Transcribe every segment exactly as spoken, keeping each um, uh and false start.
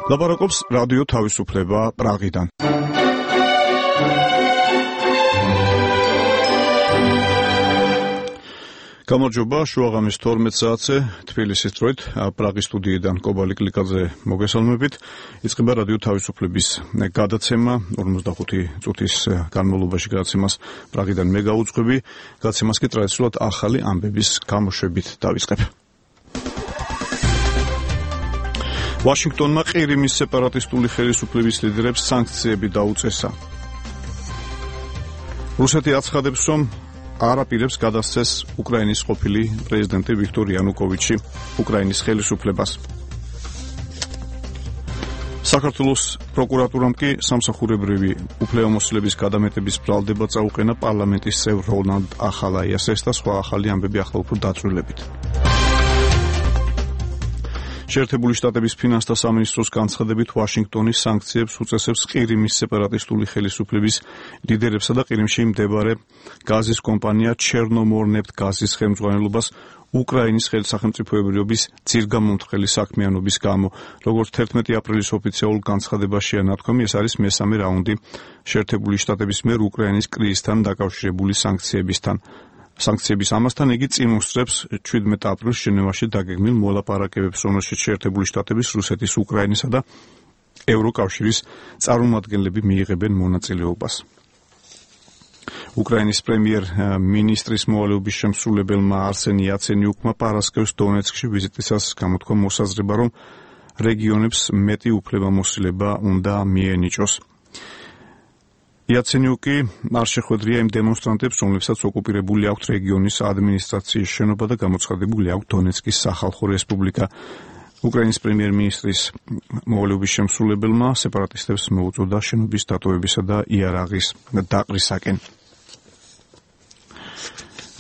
ლაპარაკობს რადიო თავისუფლება პრაღიდან. გამარჯობა, შუაღამის თორმეტ საათზე თბილისის დროით პრაღის სტუდიიდან კობალი კლიკაძე მოგესალმებით. იწყება რადიო თავისუფლების გადაცემა ორმოცდახუთი წუთის განმავლობაში გადაცემას პრაღიდან მე გავუძღვები. გადაცემას კი ტრადიციულად ახალი ამბების გამოშვებით დავიწყებ. ვაშინგტონმა ყირიმის სეპარატისტული ხელისუფლების ლიდერებს სანქციები დაუწესა. რუსეთი აცხადებს, რომ არ აპირებს გადასცეს უკრაინის ყოფილი პრეზიდენტი ვიქტორ იანუკოვიჩი უკრაინის ხელისუფლებას. საქართველოს პროკურატურამ კი სამსახურებრივი უფლებამოსილების გადამეტების ბრალდება წაუყენა პარლამენტის წევრ რონალდ ახალაიასეს და სხვა ახალი ამბები ახლა უფრო დაწვრილებით. შეერთებული შტატების ფინანსთა სამინისტროს განცხადებით ვაშინგტონის სანქციებს უწესებს ყირიმის სეპარატისტული ხელისუფლების ლიდერებსა და ყირიმში მდებარე გაზის კომპანია ჩერნომორნეფტ გაზის ხელმძღვანელობას უკრაინის სახელმწიფოებრიობის ძირგამომთხელი საქმიანობის გამო. როგორც თერთმეტი აპრილის ოფიციალურ განცხადებაშია ნათქვამი, ეს არის მესამე რაუნდი შეერთებული შტატების მიერ უკრაინის კრიზისთან დაკავშირებული სანქციებისთან. სანქციების ამასთან იგი წინ უსწრებს შვიდმეტ აპრილს ჟენევაში დაგეგმილ მოლაპარაკებებს, რომელშიც შეერთებული შტატების, რუსეთის, უკრაინისა და ევროკავშირის წარმომადგენლები მიიღებენ მონაწილეობას. უკრაინის პრემიერ-მინისტრის მოვალეობის შემსრულებელმა არსენი იაცენიუკმა პარასკევს დონეცკში ვიზიტისას გამოთქვა მოსაზრება, რომ რეგიონებს მეტი უფლებამოსილება უნდა მიენიჭოს. იაცენიუკი არ შეხვედრია იმ დემონსტრანტებს, რომლებსაც ოკუპირებული აქვთ რეგიონის ადმინისტრაციის შენობა და გამოცხადებული აქვთ დონეცკის სახალხო რესპუბლიკა. უკრაინის პრემიერ-მინისტრის მოვალეობის შემსრულებელმა სეპარატისტებს მოუწოდა შენობის დატოვებისა და იარაღის დაყრისაკენ.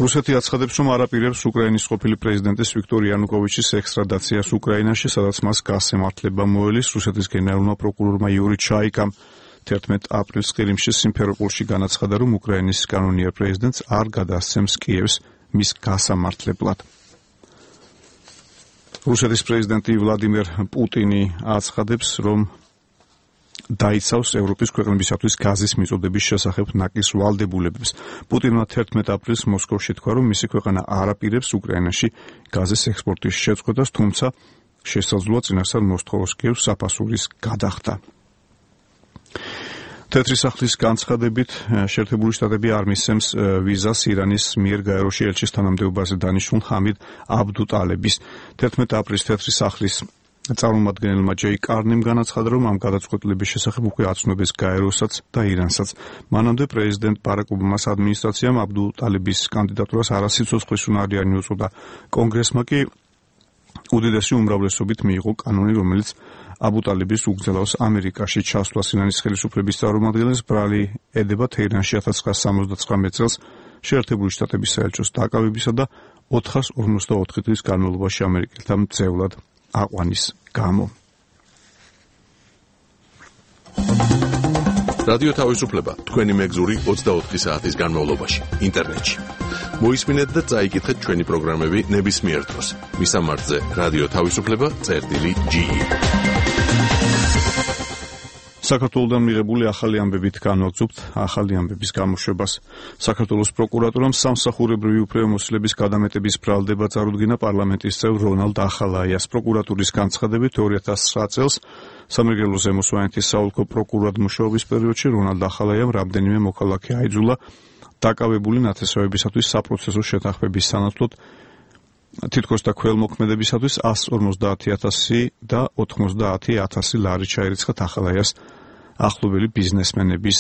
რუსეთი აცხადებს, რომ არ აპირებს უკრაინის ყოფილი პრეზიდენტის ვიქტორ იანუკოვიჩის ექსტრადაციას უკრაინაში, სადაც მას გასემართლება მოელის. რუსეთის გენერალურმა პროკურორმა იური ჩაიკამ თერთმეტ აპრილს ყირიმში სიმფეროპოლში განაცხადა, რომ უკრაინის კანონიერ პრეზიდენტს არ გადასცემს კიევს მის გასამართლებლად. რუსეთის პრეზიდენტი ვლადიმერ პუტინი აცხადებს, რომ დაიცავს ევროპის ქვეყნებისათვის გაზის მიწოდების შესახებ ნაკის ვალდებულებებს. პუტინმა თერთმეტ აპრილს მოსკოვში თქვა, რომ მისი ქვეყანა არ აპირებს უკრაინაში გაზის ექსპორტის შეწყვეტას, თუმცა შესაძლოა წინასწარ მოსთხოვოს კიევს საფასურის გადახდა. თეთრი სახლის განცხადებით შეერთებული შტატები არ მისცემს ვიზას ირანის მიერ გაეროში ელჩის თანამდებობაზე დანიშნულ ჰამიდ აბდუტალების. თერთმეტ აპრილს თეთრი სახლის წარმომადგენელმა ჯეი კარნიმ განაცხადა, რომ ამ გადაწყვეტილების შესახებ უკვე აცნობეს გაეროსაც და ირანსაც. მანამდე პრეზიდენტ ბარაკ ობამას ადმინისტრაციამ აბდუტალების კანდიდატურას არასიცოცხლის უნარიანი უწოდა. კონგრესმა კი უდიდესი უმრავლესობით მიიღო კანონი, რომელიც აბუტალების უგზელავს ამერიკაში ჩასვლას. ირანის ხელისუფლების წარმომადგენლებს ბრალი ედება თეირანში ათას ცხრაასა სამოცდათვრამეტ წელს შეერთებული შტატების საელჩოს დაკავებისა და ოთხას ორმოცდაოთხი დღის განმავლობაში ამერიკელთა მძევლად აყვანის გამო. რადიო თავისუფლება თქვენი მეგზური ოცდაოთხი საათის განმავლობაში ინტერნეტში. მოისმინეთ და წაიკითხეთ ჩვენი პროგრამები ნებისმიერ დროს. მისამართზე რადიო თავისუფლება წერტილი ჯი. საქართველოდან მიღებული ახალი ამბებით განვაგრძობთ ახალი ამბების გამოშვებას. საქართველოს პროკურატურამ სამსახურებრივი უფლებამოსილების გადამეტების ბრალდება წარუდგინა პარლამენტის წევრ რონალდ ახალაიას. პროკურატურის განცხადებით ორი ათას ცხრა წელს სამეგრელო ზემო სვანეთის საოლქო პროკურორად მუშაობის პერიოდში რონალდ ახალაიამ რამდენიმე მოქალაქე აიძულა დაკავებული ნათესავებისათვის საპროცესო შეთანხმების სანაცვლოდ თითქოს და ქველმოქმედებისათვის ასი ორმოცდაათი ათასი და ოთხმოცდაათი ათასი ლარი ჩაირიცხათ ახალაიას ახლობელი ბიზნესმენების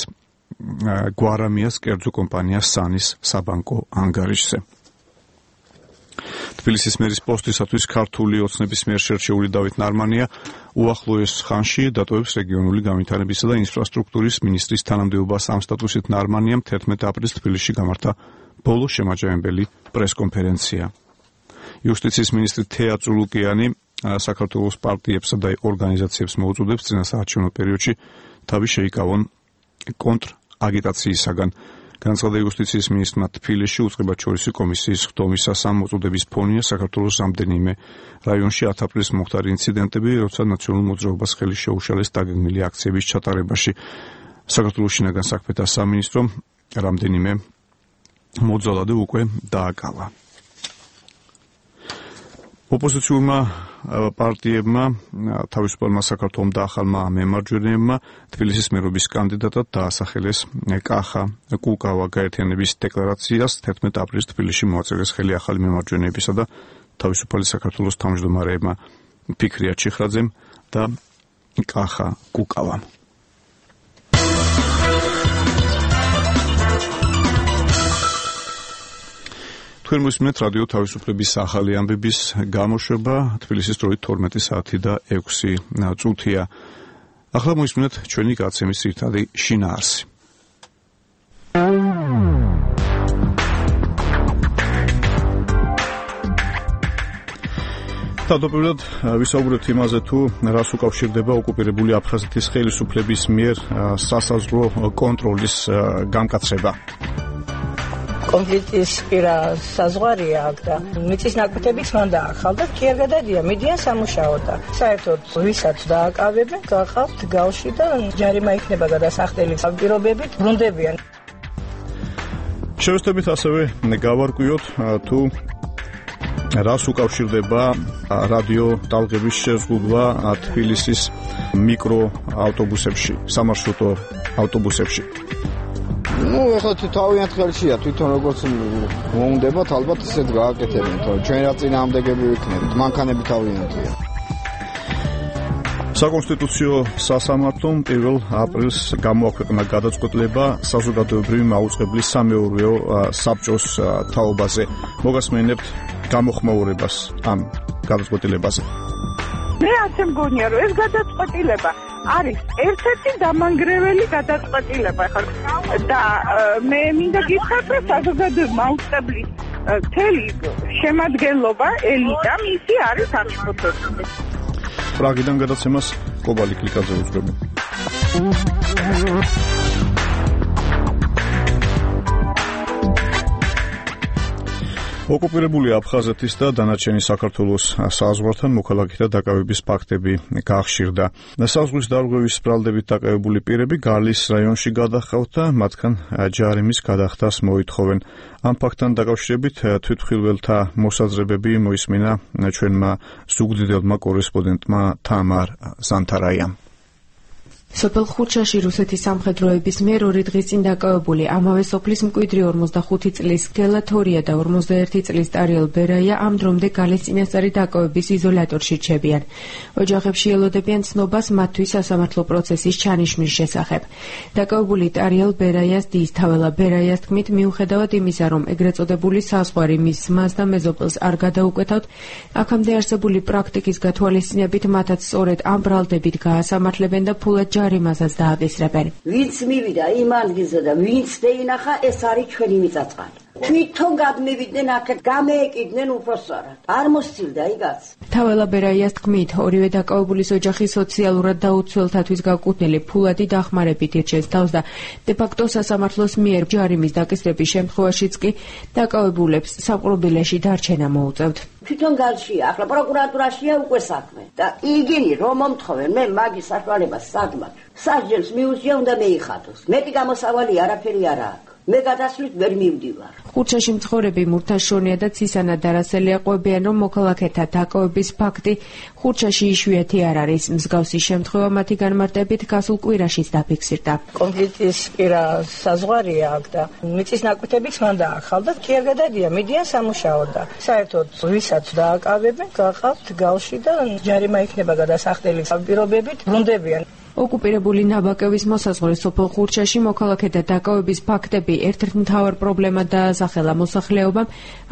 გვარამიას კერძო კომპანია სანის საბანკო ანგარიშზე. თბილისის მერის პოსტისათვის ქართული ოცნების მიერ შერჩეული დავით ნარმანია უახლოეს ხანში დატოვებს რეგიონული განვითარებისა და ინფრასტრუქტურის მინისტრის თანამდებობას. ამ სტატუსით ნარმანიამ თერთმეტ აპრილს თბილისში გამართა ბოლო შემაჯამებელი პრესკონფერენცია. იუსტიციის მინისტრი თეა წულუკიანი საქართველოს პარტიებსა და ორგანიზაციებს მოუწოდებს წინასაარჩევნო პერიოდში თავი შეიკავონ კონტრ აგიტაციისაგან. განაცხადა იუსტიციის მინისტრმა თბილისში უწყებაჩორისი კომისიის ხდომისას ამ მოწოდების ფონია საქართველოს რამდენიმე რაიონში ათ აპრილს მოხდარი ინციდენტები, როცა ნაციონალურ მოძრაობას ხელი შეუშალეს დაგეგმილი აქციების ჩატარებაში. საქართველოს შინაგან საქმეთა სამინისტრომ რამდენიმე მოძალადე უკვე დააკავა. ოპოზიციურმა პარტიებმა თავისუფალმა საქართველომ და ახალმა მემარჯვენეებმა თბილისის მერობის კანდიდატად დაასახელეს კახა კუკავა გაერთიანების დეკლარაციას თერთმეტ აპრილს თბილისში მოაწერეს ხელი ახალი მემარჯვენეებისა და თავისუფალი საქართველოს თავმჯდომარეებმა ფიქრია ჩიხრაძემ და კახა კუკავამ. თქვენ მოსმენთ რადიო თავისუფლების ახალი ამბების გამოშვება თბილისის დროით თორმეტი საათი და ექვსი წუთია. ახლა მოსმენთ ჩვენი გაცემის ძირითადი შინაარსი. თავდაპირველად ვისაუბრებთ იმაზე, თუ რას უკავშირდება ოკუპირებული აფხაზეთის ხელისუფლების მიერ სასაზღვრო კონტროლის გამკაცრება. კონფლიქტის პირა საზღვარია აქ და მიწის ნაკვეთებიც მან დაახალდა, კი არ გადადია, მიდიან სამუშაოდ და საერთოდ ვისაც დააკავებენ, გახავთ გავში და ჯარიმა იქნება გადასახდელი პირობებით ბრუნდებიან. შევეცდებით ასევე გავარკვიოთ თუ რას უკავშირდება რადიო ტალღების შეზღუდვა თბილისის მიკროავტობუსებში, სამარშრუტო ავტობუსებში. Ну, ეხლა თავიანთ ხელშია თვითონ როგორც მოუნდებათ, ალბათ ისეთ გააკეთებენ, თორე ჩვენ რა წინააღმდეგები ვიქნებით, მანქანები თავიანთია. საკონსტიტუციო სასამართლომ პირველ აპრილს გამოაქვეყნა გადაწყვეტილება საზოგადოებრივი მაუწყებლის სამეურვეო საბჭოს თაობაზე. მოგასმენებთ გამოხმაურებას ამ გადაწყვეტილებაზე. მე ასე მგონია, რომ ეს გადაწყვეტილება არის ერთ-ერთი დამანგრეველი გადაწყვეტილება ხარ და მე მინდა გითხრათ, რომ საზოგადოებრივი მაუწყებლის მთელი შემადგენლობა ელიტა მისი არის აღშფოთებული. პრაგიდან გადაცემას კობალი კლიკაძე უძღვები. ოკუპირებული აფხაზეთის და დანარჩენი საქართველოს საზღვართან მოქალაქეთა დაკავების ფაქტები გახშირდა. საზღვრის დარღვევის ბრალდებით დაკავებული პირები გალის რაიონში გადახავთ და მათგან ჯარიმის გადახდას მოითხოვენ. ამ ფაქტთან დაკავშირებით თვითმხილველთა მოსაზრებები მოისმინა ჩვენმა ზუგდიდელმა კორესპონდენტმა თამარ ზანთარაიამ. სოფელ ხურჩაში რუსეთის სამხედროების მიერ ორი დღის წინ დაკავებული ამავე სოფლის მკვიდრი ორმოცდახუთი წლის გელათორია და ორმოცდაერთი წლის ტარიელ ბერაია ამ დრომდე გალის წინასწარი დაკავების იზოლატორში რჩებიან. ოჯახებში ელოდებიან ცნობას მათთვის სასამართლო პროცესის ჩანიშვნის შესახებ. დაკავებული ტარიელ ბერაიას დის თაველა ბერაიას თქმით, მიუხედავად იმისა, რომ ეგრეთ წოდებული საზღვარი მის ზმას და მეზობელს არ გადაუკეთავთ, აქამდე არსებული პრაქტიკის გათვალისწინებით მათაც სწორედ ამ ბრალდებით გაასამართლებენ და ფულად ჯარიმასაც დააკისრებენ. ვინც მივიდა იმ ადგილზე და ვინც დაინახა, ეს არის ჩვენი მიწაწყალი. თვითონ გადმივიდნენ აქეთ, გამეეკიდნენ უფროსწორად. არ მოსცილდა იგაც. თაველა ბერაიას თქმით, ორივე დაკავებულის ოჯახი სოციალურად დაუცველთათვის გაკუთვნილი ფულადი დახმარებით ირჩევს თავს და დე-ფაქტო სასამართლოს მიერ ჯარიმის დაკისრების შემთხვევაშიც კი დაკავებულებს საპყრობილეში დარჩენა მოუწევთ. თვითონ გალშია, ახლა პროკურატურაშია უკვე საქმე და იგინი რომ მომთხოვენ, მე მაგის საშუალებას საგმად. სასჯელს მიუზია, უნდა მეიხადოს. მეტი გამოსავალი არაფერი არ აქვს. მე გადასვლით ვერ მივდივარ. ხურჩაში მცხოვრები მურთაშონია და ცისანა დარასელი აყვებიან, რომ მოქალაქეთა დაკავების ფაქტი ხურჩაში იშვიათი არ არის. მსგავსი შემთხვევა მათი განმარტებით გასულ კვირაშიც დაფიქსირდა. კონფლიქტის პირა საზღვარია აქ და მიწის ნაკვეთებიც მან დაახალდა, კი არ გადადია, მიდიან სამუშაოდ და საერთოდ ვისაც დააკავებენ, გახავთ გავში და ჯარიმა იქნება გადასახდელი პირობებით ბრუნდებიან. ოკუპირებული ნაბაკების მოსაზღვრე სოფელ ხურჩაში მოქალაქეთა დაკავების ფაქტები ერთ-ერთ მთავარ პრობლემად დაასახელა მოსახლეობამ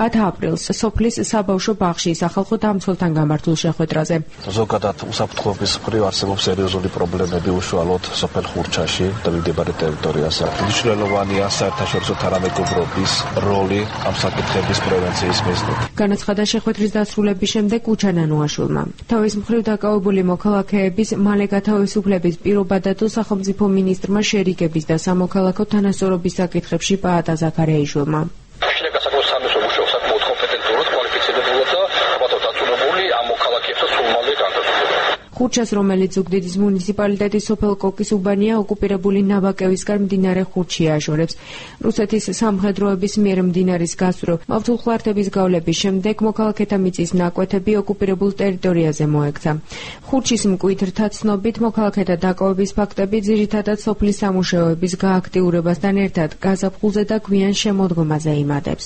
ათ აპრილს სოფლის საბავშვო ბაღში სახალხო დამცველთან გამართულ შეხვედრაზე. ზოგადად უსაფრთხოების მხრივ არსებობს სერიოზული პრობლემები უშუალოდ სოფელ ხურჩაში და მიმდებარე ტერიტორიაზე. მნიშვნელოვანია საერთაშორისო თანამეგობრობის როლი ამ საკითხების პრევენციის მიზნით. განაცხადა შეხვედრის დასრულების შემდეგ უჩანანოაშვილმა. თავის მხრივ დაკავებული მოქალაქეების მალე გათავისუფლების საშუალების პირობადა თუ სახელმწიფო მინისტრმა შერიგების და სამოქალაქო თანასწორობის საკითხებში პაატა ზაქარიაიშვილმა. ხურჩას, რომელიც ზუგდიდის მუნიციპალიტეტის სოფელ კოკის უბანია, ოკუპირებული ნაბაკევისგან მდინარე ხურჩი აჟორებს. რუსეთის სამხედროების მიერ მდინარის გასწვრივ მავთულხლართების გავლების შემდეგ მოქალაქეთა მიწის ნაკვეთები ოკუპირებულ ტერიტორიაზე მოექცა. ხურჩის მკვიდრთა ცნობით, მოქალაქეთა დაკავების ფაქტები ძირითადად სოფლის სამუშაოების გააქტიურებასთან ერთად გაზაფხულზე და გვიან შემოდგომაზე იმადებს.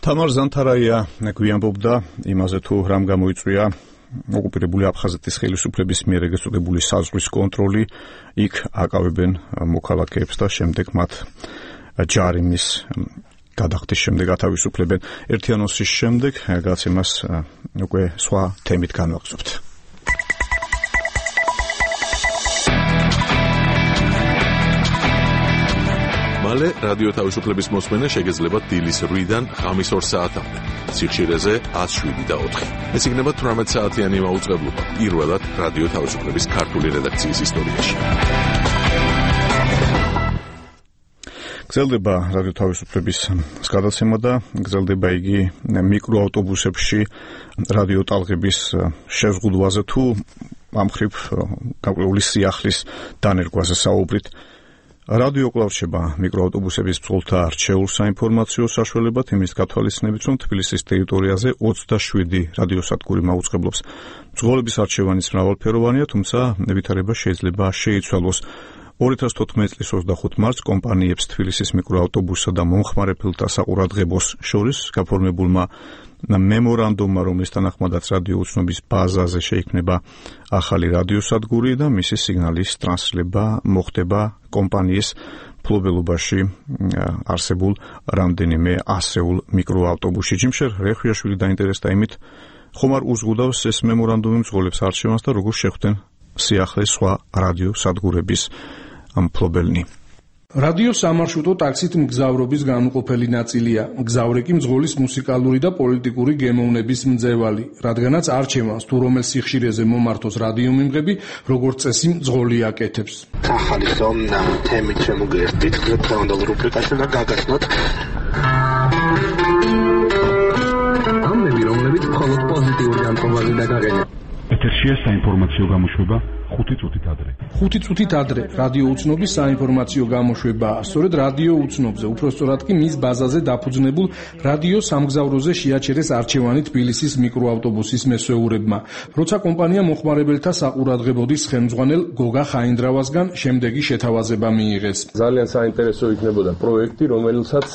თამარ ზანთარაია გვიანბობდა იმაზე, თუ რამ გამოიწვია ოკუპირებული აფხაზეთის ხელისუფლების მიერ ეგრეთ წოდებული საზღვრის კონტროლი, იქ აკავებენ მოქალაქეებს და შემდეგ მათ ჯარიმის გადახდის შემდეგ ათავისუფლებენ. ერთი ანონსის შემდეგ გაცემას უკვე სხვა თემით განვაგრძობთ. მალე რადიო თავისუფლების მოსმენა შეგეძლება დილის რვიდან ღამის ორ საათამდე. სიხშირეზე ათს შვიდი და ოთხი. ეს იქნება თვრამეტ საათიანი მაუწყებლობა პირველად რადიო თავისუფლების ქართული რედაქციის ისტორიაში. გრძელდება რადიო თავისუფლების გადაცემა და გრძელდება იგი მიკროავტობუსებში რადიო ტალღების შეზღუდვაზე თუ ამ მხრივ გაკვეული სიახლის დანერგვაზე საუბრით. რადიო კვლავ რჩება მიკროავტობუსების ბრძოლთა არჩეულ საინფორმაციო საშუალებად, იმის გათვალისწინებით, რომ თბილისის ტერიტორიაზე ოცდაშვიდი რადიოსადგური მაუწყებლობს. ბრძოლების არჩევანის მრავალფეროვანია, თუმცა ვითარება შეიძლება შეიცვალოს. ორი ათას თოთხმეტი წლის ოცდახუთი მარტს კომპანიებს თბილისის მიკროავტობუსსა და მომხმარებელთა საყურადღებოს შორის გაფორმებულმა მემორანდუმმა, რომლის თანახმადაც რადიო უცნობის ბაზაზე შეიქმნება ახალი რადიოსადგური და მისი სიგნალის ტრანსლება მოხდება კომპანიის ფლობელობაში არსებულ რამდენიმე ასეულ მიკროავტობუსში. ჯიმშერ რეხვიაშვილი დაინტერესდა იმით, ხომ არ უზღუდავს ეს მემორანდუმი მძღოლებს არჩევანს და როგორ შეხვდნენ სიახლეს სხვა რადიოსადგურების მფლობელნი. რადიო სამარშრუტო ტაქსით მგზავრობის განუყოფელი ნაწილია. მგზავრე კი მძღოლის მუსიკალური და პოლიტიკური გემოვნების მძევალი, რადგანაც არჩევანს თუ რომელ სიხშირეზე მომართოს რადიომიმღები, როგორც წესი მძღოლი აკეთებს. ახალი ზონა თემით შემოგერთით, დღევანდელ რუბრიკაში და გაგაცნოთ ამბები, რომლებიც მხოლოდ პოზიტიური განწყობაზე დაგაყენებთ. ეთერშია საინფორმაციო გამოშვება ხუთი წუთით ადრე. ხუთი წუთით ადრე რადიო უცნობის საინფორმაციო გამოშვებაა. სწორედ რადიო უცნობზე, უпростоრად კი მის ბაზაზე დაფუძნებულ რადიო სამგზავროზე შეაჩერეს არჩევანი თბილისის მიკროავტობუსის მესვეურებმა. როცა კომპანია მოხმარებელთა საყურადღებოდის ხელმძღვანელ გოგა ხაინდრავასგან შემდეგი შეთავაზება მიიღეს. ძალიან საინტერესო იქნებოდა პროექტი, რომელსაც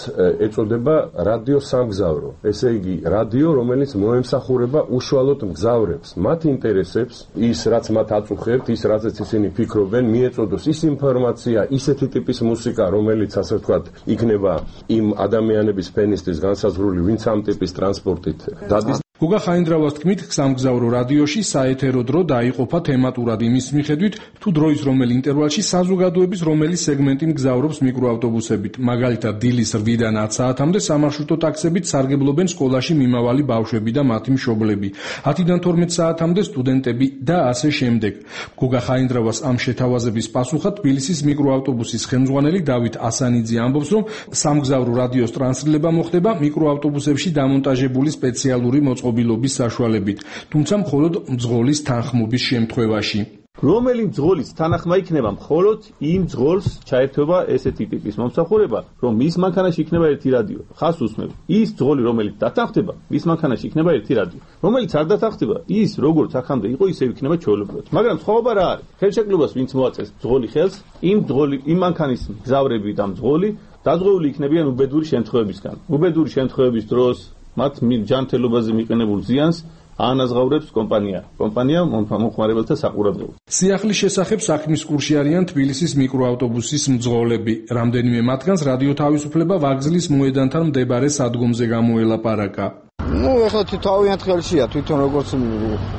ეწოდება რადიო სამგზავრო. ესე იგი, რადიო, რომელიც მოემსახურება უშუალოდ მგზავრებს, მათ ინტერესებს, ის რაც მათ აწუხებთ, ის რაზეც ისინი ფიქრობენ, მიეწოდოს ის ინფორმაცია, ისეთი ტიპის მუსიკა, რომელიც ასე ვთქვათ, იქნება იმ ადამიანების ფენისთვის განსაზღვრული, ვინც ამ ტიპის ტრანსპორტით დადის. გოგა ხაინდრავას თქმით, სამგზავრო რადიოში საეთერო დრო დაიყოფა თემატურად იმის მიხედვით, თუ დროის რომელ ინტერვალში საზოგადოების რომელი სეგმენტი მგზავრობს მიკროავტობუსებით. მაგალითად, დილის რვიდან ათ საათამდე სამარშრუტო ტაქსებით სარგებლობენ სკოლაში მიმავალი ბავშვები და მათი მშობლები. ათიდან თორმეტ საათამდე სტუდენტები და ასე შემდეგ. გოგა ხაინდრავას ამ შეთავაზების პასუხად თბილისის მიკროავტობუსის ხელმძღვანელი დავით ასანიძე ამბობს, რომ სამგზავრო რადიოს ტრანსლება მოხდება მიკროავტობუსებში დამონტაჟებული სპეციალური მოწყობილობის საშუალებით, თუმცა მხოლოდ მძღოლის თანხმობის შემთხვევაში. რომელი მძღოლის თანახმა იქნება მხოლოდ იმ მძღოლს ჩაერთვება ესეთი ტიპის მომსახურება, რომ მის მანქანაში იქნება ერთი რადიო. ხას უსმევ. ის მძღოლი, რომელიც დათანხმდება, მის მანქანაში იქნება ერთი რადიო. რომელიც არ დათანხმდება, ის როგორც აქამდე იყო, ისე იქნება ჩვეულებრივად. მაგრამ სხვაობა რა არის? ხელშეკრულებას ვინც მოაწეს მძღოლი ხელს, იმ მძღოლი, იმ მანქანის მგზავრები და მძღოლი დაზღვეული იქნებიან უბედური შემთხვევებისგან. უბედური შემთხვევების დროს მათ ჯანმრთელობაზე მიყენებულ ზიანს აანაზღაურებს კომპანია. კომპანია მომხმარებელთა საყურადღებოდ. სიახლის შესახებ საქმის კურსში არიან თბილისის მიკროავტობუსის მძღოლები. რამდენიმე მათგანს რადიო თავისუფლება ვაგზლის მოედანთან მდებარე სადგომზე გამოელაპარაკა. ну, ეხლა თავიანთ ხელშია, თვითონ როგორც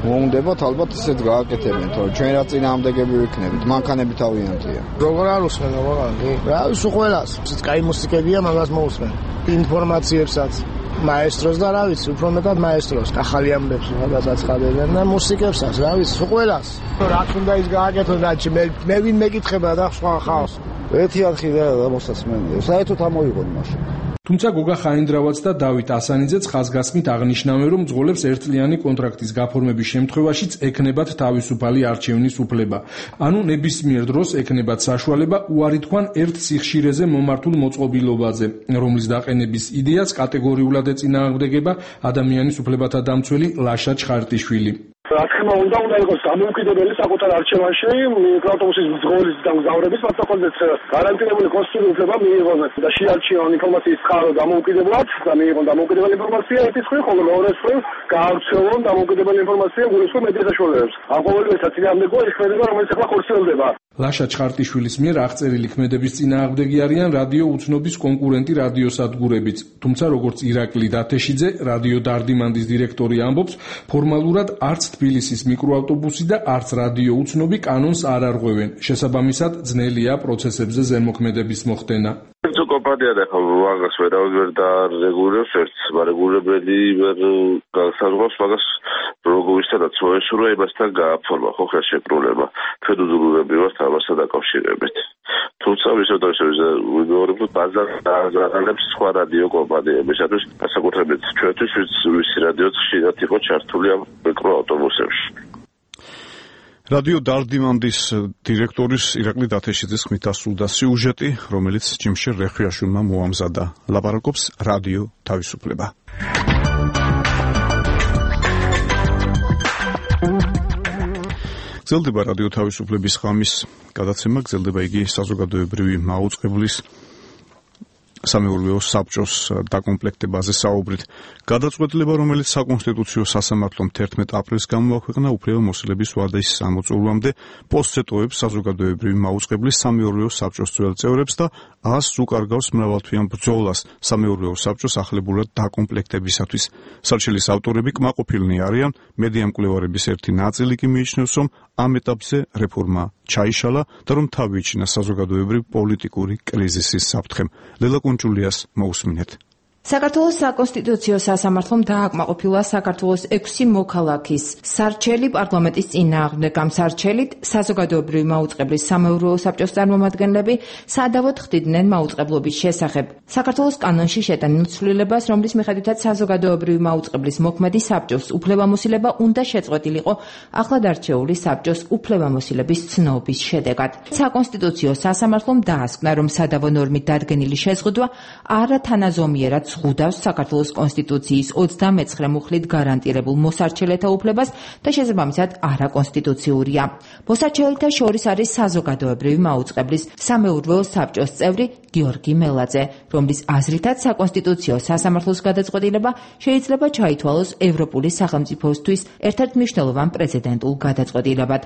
მოუნდებათ, ალბათ ისეთ გააკეთებენ, თორე ჩვენ რა წინააღმდეგები ვიქნებით, მანქანები თავიანთია. როგორ არ უსმენო, ვაღანდი? რა, უშო ყველას. კაი მუსიკებია, მაგას მოусმენ. ინფორმაციებსაც. მაესტროს და რა ვიცი, უფრო მეტად მაესტროს, ახალი ამბებს გადაცხადებენ და მუსიკებსაც, რა ვიცი, ყველას. რაც უნდა ის გააკეთოს და მე მე ვინ მეკითხება და სხვა ხავს. ერთი არხი და მოსასმენია. საერთოდ ამოიღონ მაშინ. თუმცა გოგა ხაინდრავაც და დავით ასანიძეც ხაზგასმით აღნიშნავენ, რომ მძღოლებს ერთწლიანი კონტრაქტის გაფორმების შემთხვევაშიც ექნებათ თავისუფალი არჩევნის უფლება. ანუ ნებისმიერ დროს ექნებათ საშუალება უარი თქვან ერთ სიხშირეზე მომართულ მოწყობილობაზე, რომლის დაყენების იდეას კატეგორიულად ეწინააღმდეგება ადამიანის უფლებათა დამცველი ლაშა ჩხარტიშვილი. რა თქმა უნდა, უნდა იყოს დამოუკიდებელი საკუთარ არჩევანში მიკროავტობუსის მძღოლის და მგზავრების მასწავლებელს გარანტირებული კონსტიტუციური უფლება მიიღონ და შეარჩიონ ინფორმაციის წყარო დამოუკიდებლად და მიიღონ დამოუკიდებელი ინფორმაცია ერთის მხრივ, ხოლო მეორე მხრივ გაავრცელონ დამოუკიდებელი ინფორმაცია გულისხმობ მედია საშუალებებს. ამ ყოველივეთა წინააღმდეგობა ის ქმედება, რომელიც ახლა ხორციელდება. ლაშა ჩხარტიშვილის მიერ აღწერილი ქმედების წინააღმდეგი არიან რადიო უცნობის კონკურენტი რადიოსადგურებიც. თუმცა როგორც ირაკლი დათეშიძე, რადიო დარდიმანდის დირექტორი ამბობს, ფორმალურად არც თბილისის მიკროავტობუსი და არც რადიო უცნობი კანონს არ არღვევენ. შესაბამისად, ძნელია პროცესებზე ზემოქმედების მოხდენა. თუ კომპანია და ხო მაგას ვერ ვერ და რეგულირებს ერთს, რეგულირებელი ვერ განსაზღვრავს მაგას როგორიცადაც მოესურვა იმასთან გააფორმა ხო ხა შეკრულება. ჩვენ უზრუნველები ვართ ამასთან დაკავშირებით. თუმცა ვისაუბრეთ ვიმეორებ ბაზარს სხვა რადიო კომპანიებისათვის, განსაკუთრებით ჩვენთვის ვისი რადიოც ხშირად იყო ჩართული ამ მიკროავტობუსებში. რადიო დარდიმანდის დირექტორის ირაკლი დათეშიძის ხმით ასრულდა სიუჟეტი, რომელიც ჯიმშერ რეხვიაშვილმა მოამზადა. ლაპარაკობს რადიო თავისუფლება. გრძელდება რადიო თავისუფლების ღამის გადაცემა, გრძელდება იგი საზოგადოებრივი მაუწყებლის სამეურვეო საბჭოს დაკომპლექტებაზე საუბრით. გადაწყვეტილება, რომელიც საკონსტიტუციო სასამართლომ თერთმეტ აპრილს გამოაქვეყნა უფლებამოსილების ვადის ამოწურვამდე, პოსტცეტოებს საზოგადოებრივი მაუწყებლის სამეურვეო საბჭოს ძველ წევრებს და ას უკარგავს მრავალთვიან ბრძოლას სამეურვეო საბჭოს ახლებურად დაკომპლექტებისათვის. სარჩელის ავტორები კმაყოფილნი არიან, მედია მკვლევარების ერთი ნაწილი კი მიიჩნევს, რომ ამ ეტაპზე რეფორმა ჩაიშალა და რომ თავი იჩინა საზოგადოებრივ პოლიტიკური კრიზისის საფრთხემ. ლელა კუნჭულიას მოусმინეთ. საქართველოს საკონსტიტუციო სასამართლომ დააკმაყოფილა საქართველოს ექვსი მოქალაქის სარჩელი პარლამენტის წინააღმდეგ. ამ სარჩელით საზოგადოებრივი მაუწყებლის სამეურვეო საბჭოს წარმომადგენლები სადავოდ ხდიდნენ მაუწყებლობის შესახებ. საქართველოს კანონში შეტანილ ცვლილებას, რომლის მიხედვითაც საზოგადოებრივი მაუწყებლის მოქმედი საბჭოს უფლებამოსილება უნდა შეწყვეტილიყო ახლად არჩეული საბჭოს უფლებამოსილების ცნობის შედეგად. საკონსტიტუციო სასამართლომ დაასკვნა, რომ სადავო ნორმით დადგენილი შეზღუდვა არათანაზომიერად ზღუდავს საქართველოს კონსტიტუციის ოცდამეცხრე მუხლით გარანტირებულ მოსარჩელეთა უფლებას და შესაბამისად არაკონსტიტუციურია. მოსარჩელეთა შორის არის საზოგადოებრივი მაუწყებლის სამეურვეო საბჭოს წევრი გიორგი მელაძე, რომლის აზრითაც საკონსტიტუციო სასამართლოს გადაწყვეტილება შეიძლება ჩაითვალოს ევროპული სახელმწიფოსთვის ერთ-ერთ მნიშვნელოვან პრეცედენტულ გადაწყვეტილებად.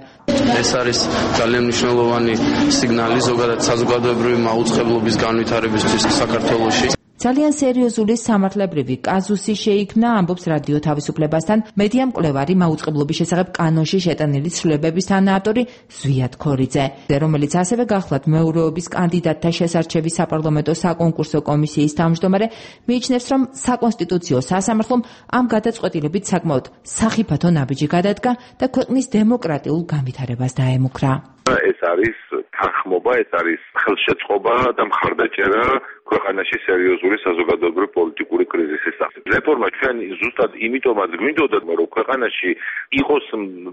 ეს არის ძალიან მნიშვნელოვანი სიგნალი ზოგადად საზოგადოებრივი მაუწყებლობის განვითარებისთვის საქართველოში. ძალიან სერიოზული სამართლებრივი კაზუსი შეიქმნა, ამბობს რადიო თავისუფლებასთან მედია მკვლევარი მაუწყებლობის შესახებ კანონში შეტანილი ცვლილებების თანაავტორი ზვიად ქორიძე, რომელიც ასევე გახლავთ მეურვეობის კანდიდატთა შესარჩევის საპარლამენტო საკონკურსო კომისიის თავმჯდომარე, მიიჩნევს, რომ საკონსტიტუციო სასამართლომ ამ გადაწყვეტილებით საკმაოდ სახიფათო ნაბიჯი გადადგა და ქვეყნის დემოკრატიულ განვითარებას დაემუქრა. ეს არის თანხმობა, ეს არის ხელშეწყობა და მხარდაჭერა ქვეყანაში სერიოზული საზოგადოებრივი პოლიტიკური კრიზისის სახით. რეფორმა ჩვენ ზუსტად იმიტომაც გვინდოდა, რომ ქვეყანაში იყოს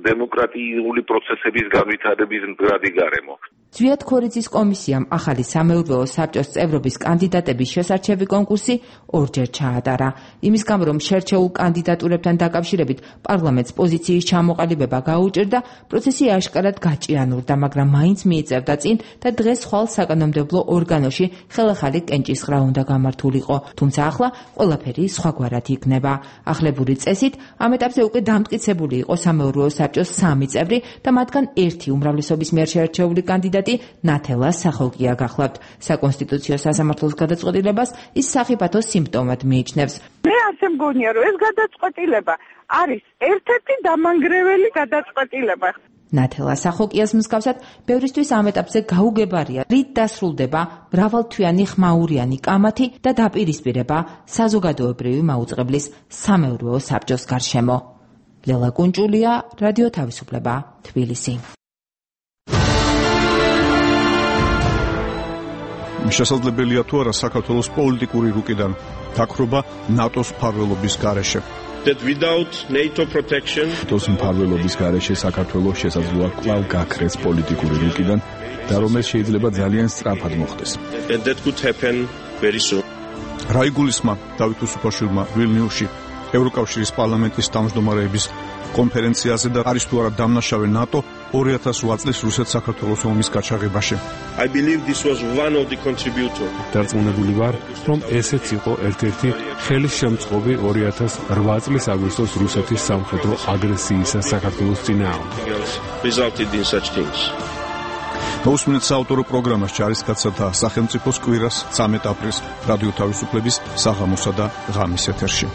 დემოკრატიული პროცესების განვითარების მდგრადი გარემო. ზვიად ქორიძის კომისიამ ახალი სამეურვეო საბჭოს წევრობის კანდიდატების შესარჩევი კონკურსი ორჯერ ჩაატარა. იმის გამო, რომ შერჩეულ კანდიდატურებთან დაკავშირებით პარლამენტს პოზიციის ჩამოყალიბება გაუჭირდა, პროცესი აშკარად გაჭიანურდა, მაგრამ მაინც მიიწევდა წინ და დღეს ხვალ საკანონმდებლო ორგანოში ხელახალი კენჭისყრა უნდა გამართულიყო. თუმცა ახლა ყველაფერი სხვაგვარად იქნება. ახლებური წესით ამ ეტაპზე უკვე დამტკიცებული იყო სამეურვეო საბჭოს სამი წევრი და მათგან ერთი უმრავლესობის მიერ შერჩეული კანდიდატი ნათელა სახოკია გახლავთ. საკონსტიტუციო სასამართლოს გადაწყვეტილებას ის სახიფათო სიმპტომად მიიჩნევს. მე ასე მგონია, რომ ეს გადაწყვეტილება არის ერთ-ერთი დამანგრეველი გადაწყვეტილება. ნათელა სახოკიას მსგავსად, ბევრისთვის ამ ეტაპზე გაუგებარია, რით დასრულდება მრავალთვიანი ხმაურიანი კამათი და დაპირისპირება საზოგადოებრივი მაუწყებლის სამეურვეო საბჭოს გარშემო. ლელა კუნჭულია, რადიო თავისუფლება, თბილისი. შესაძლებელია თუ არა საქართველოს პოლიტიკური რუკიდან დაქრობა ნატოს მფარველობის გარეშე. That without NATO protection ნატოს მფარველობის გარეშე საქართველოს შესაძლოა კვლავ გაქრეს პოლიტიკური რუკიდან და რომელიც შეიძლება ძალიან სწრაფად მოხდეს. And that could happen very soon. რაიგულისმა დავით უსუფაშვილმა ვილნიუსში ევროკავშირის პარლამენტის თავმჯდომარეების კონფერენციაზე და არის თუ არა დამნაშავე ნატო ორი ათას ოთხ წლის რუსეთ-საქართველოს ომის გაჩაღებაში. I believe this was one of the contributors. დარწმუნებული ვარ, რომ ესეც იყო ერთ-ერთი ხელისშემწყობი ორი ათას ოთხ წლის აგვისტოს რუსეთის სამხედრო აგრესიისა საქართველოს წინააღმდეგ. Resulted in such things. მოусმინეთ საავტორო პროგრამას ჯარისკაცთა და სახელმწიფოს კვირას ცამეტ აპრილს რადიო თავისუფლების საღამოსა და ღამის ეთერში.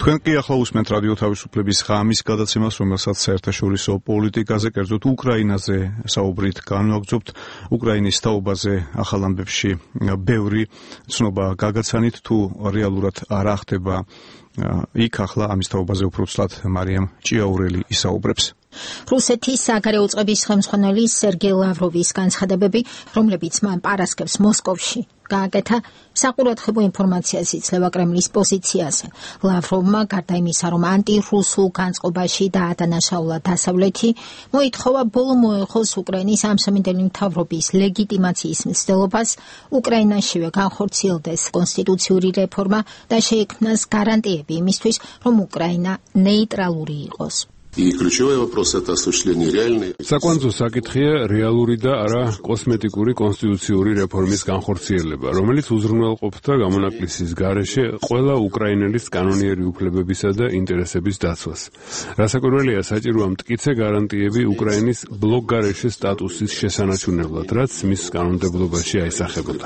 თქვენ კი ახლა უსმენთ რადიო თავისუფლების ღამის გადაცემას, რომელსაც საერთაშორისო პოლიტიკაზე, კერძოდ უკრაინაზე საუბრით განვაგრძობთ. უკრაინის თაობაზე ახალ ამბებში ბევრი ცნობა გაგაცანით, თუ რეალურად რა ხდება იქ ახლა ამის თაობაზე უფრო ცლად მარიამ ჭიაურელი ისაუბრებს. რუსეთის საგარეო წყების ხელმძღვანელი სერგეი ლავროვის განცხადებები, რომლებიც მან პარასკევს მოსკოვში გააკეთა, საყურადღებო ინფორმაციას იძლევა კრემლის პოზიციაზე. ლავროვმა გარდა იმისა, რომ ანტირუსულ განწყობაში დაადანაშაულა დასავლეთი, მოითხოვა ბოლო მოეხოს უკრაინის ამსამინდელი მთავრობის ლეგიტიმაციის მცდელობას, უკრაინაშივე განხორციელდეს კონსტიტუციური რეფორმა და შეექმნას გარანტიები იმისთვის, რომ უკრაინა ნეიტრალური იყოს. И ключевой вопрос это осуществление реальной. საკვანძო საკითხია რეალური და არა კოსმეტიკური კონსტიტუციური რეფორმის განხორციელება, რომელიც უზრუნველყოფდა გამონაკლისის გარეშე ყველა უკრაინელის კანონიერი უფლებებისა და ინტერესების დაცვას. რასაკვირველია, საჭიროა მტკიცე გარანტიები უკრაინის ბლოკ გარეშე სტატუსის შესანარჩუნებლად, რაც მის კანონმდებლობაში აისახებოდა.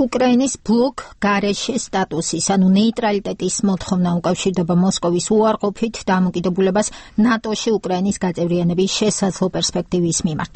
უკრაინის ბლოკ გარეშე სტატუსის, ანუ ნეიტრალიტეტის მოთხოვნა უკავშირდება მოსკოვის უარყოფით დამოკიდებულებას ნატოში უკრაინის გაწევრიანების შესაძლო პერსპექტივის მიმართ.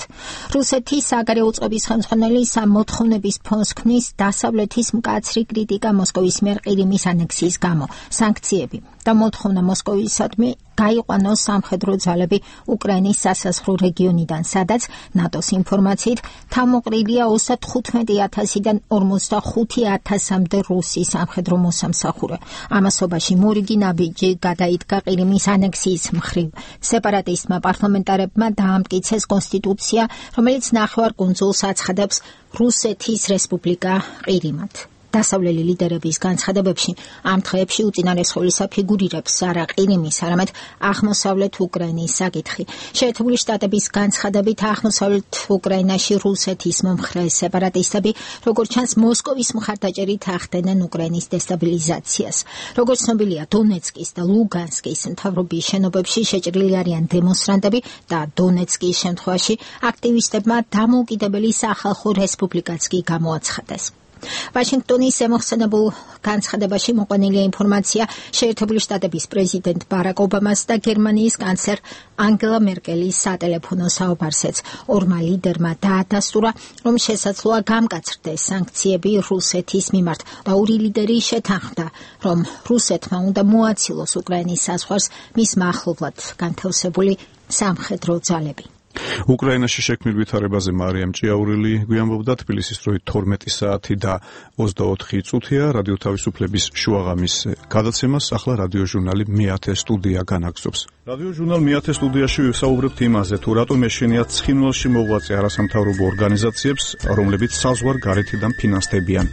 რუსეთის საგარეო წყობის ხელმძღვანელი ამ მოთხოვნების ფონს ქმნის დასავლეთის მკაცრი კრიტიკა მოსკოვის მიერ ყირიმის ანექსიის გამო, სანქციები და მოთხოვნა მოსკოვისადმი გაიყვანოს სამხედრო ძალები უკრაინის სასაზღვრო რეგიონიდან, სადაც ნატოს ინფორმაციით თავმოყრილია ოცდათხუთმეტი ათასიდან ორმოცდახუთი ათასამდე რუსი სამხედრო მოსამსახურე. ამასობაში მორიგი ნაბიჯი გადაიდგა ყირიმის ანექსიის მხრივ. სეპარატისტმა პარლამენტარებმა დაამტკიცეს კონსტიტუცია, რომელიც ნახევარკუნძულს აცხადებს რუსეთის რესპუბლიკა ყირიმად. დასავლელი ლიდერების განცხადებებში ამ დღეებში უწინარესხოვლისა ფიგურირებს არა ყირიმის, არამედ აღმოსავლეთ უკრაინის საკითხი. შეერთებული შტატების განცხადებით აღმოსავლეთ უკრაინაში რუსეთის მომხრე სეპარატისტები, როგორც ჩანს, მოსკოვის მხარდაჭერით ახდენენ უკრაინის დესტაბილიზაციას. როგორც ცნობილია, დონეცკის და ლუგანსკის მთავრობის შენობებში შეჭრილი არიან დემონსტრანტები და დონეცკის შემთხვევაში აქტივისტებმა დამოუკიდებელი სახალხო რესპუბლიკაც კი გამოაცხადეს. ვაშინგტონის ზემოხსენებულ განცხადებაში მოყვანილია ინფორმაცია შეერთებული შტატების პრეზიდენტ ბარაკ ობამას და გერმანიის კანცლერ ანგელა მერკელის სატელეფონო საუბარსეც ორმა ლიდერმა დაადასტურა, რომ შესაძლოა გამკაცრდეს სანქციები რუსეთის მიმართ და ორი ლიდერი შეთანხმდა, რომ რუსეთმა უნდა მოაცილოს უკრაინის საზღვარს მის მახლობლად განთავსებული სამხედრო ძალები. უკრაინაში შექმნილ ვითარებაზე მარიამ ჭიაურელი გვიამბობდა. თბილისის დროით თორმეტი საათი და ოცდაოთხი წუთია. რადიო თავისუფლების შუაღამის გადაცემას ახლა რადიო ჟურნალი მეათე სტუდია განაგრძობს. რადიო ჟურნალ მეათე სტუდიაში ვისაუბრებთ იმაზე, თუ რატომ ეშინიათ ცხინვალში მოღვაწე არასამთავრობო ორგანიზაციებს, რომლებიც საზღვარ გარეთიდან ფინანსდებიან.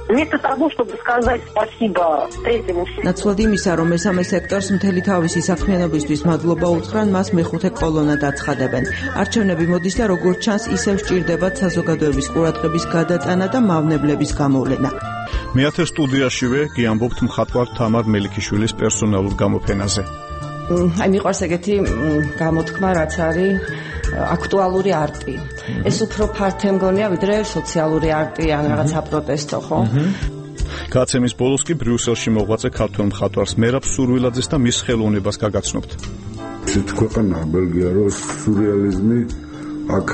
Вместо того, чтобы сказать спасибо третьему сектору. ნაცვლად იმისა, რომ მესამე სექტორს მთელი თავისი საქმიანობისთვის მადლობა უთხრან, მას მეხუთე კოლონად აცხადებენ. არჩევნები მოდის და როგორც ჩანს, ისევ სჭირდებათ საზოგადოების ყურადღების გადატანა და მავნებლების გამოვლენა. მეათე სტუდიაშივე გიამბობთ მხატვარ თამარ მელიქიშვილის პერსონალურ გამოფენაზე. აი მიყვარს ეგეთი გამოთქმა, რაც არის აქტუალური არტი. ეს უფრო ფართე მგონია, ვიდრე სოციალური არტი ან რაღაცა პროტესტო, ხო? გაცემის ბოლოს კი ბრიუსელში მოღვაწე ქართველ მხატვარს მერაბ სურვილაძეს და მის ხელოვნებას გაგაცნობთ. ისეთ ქვეყანაა ბელგია, რომ სურეალიზმი აქ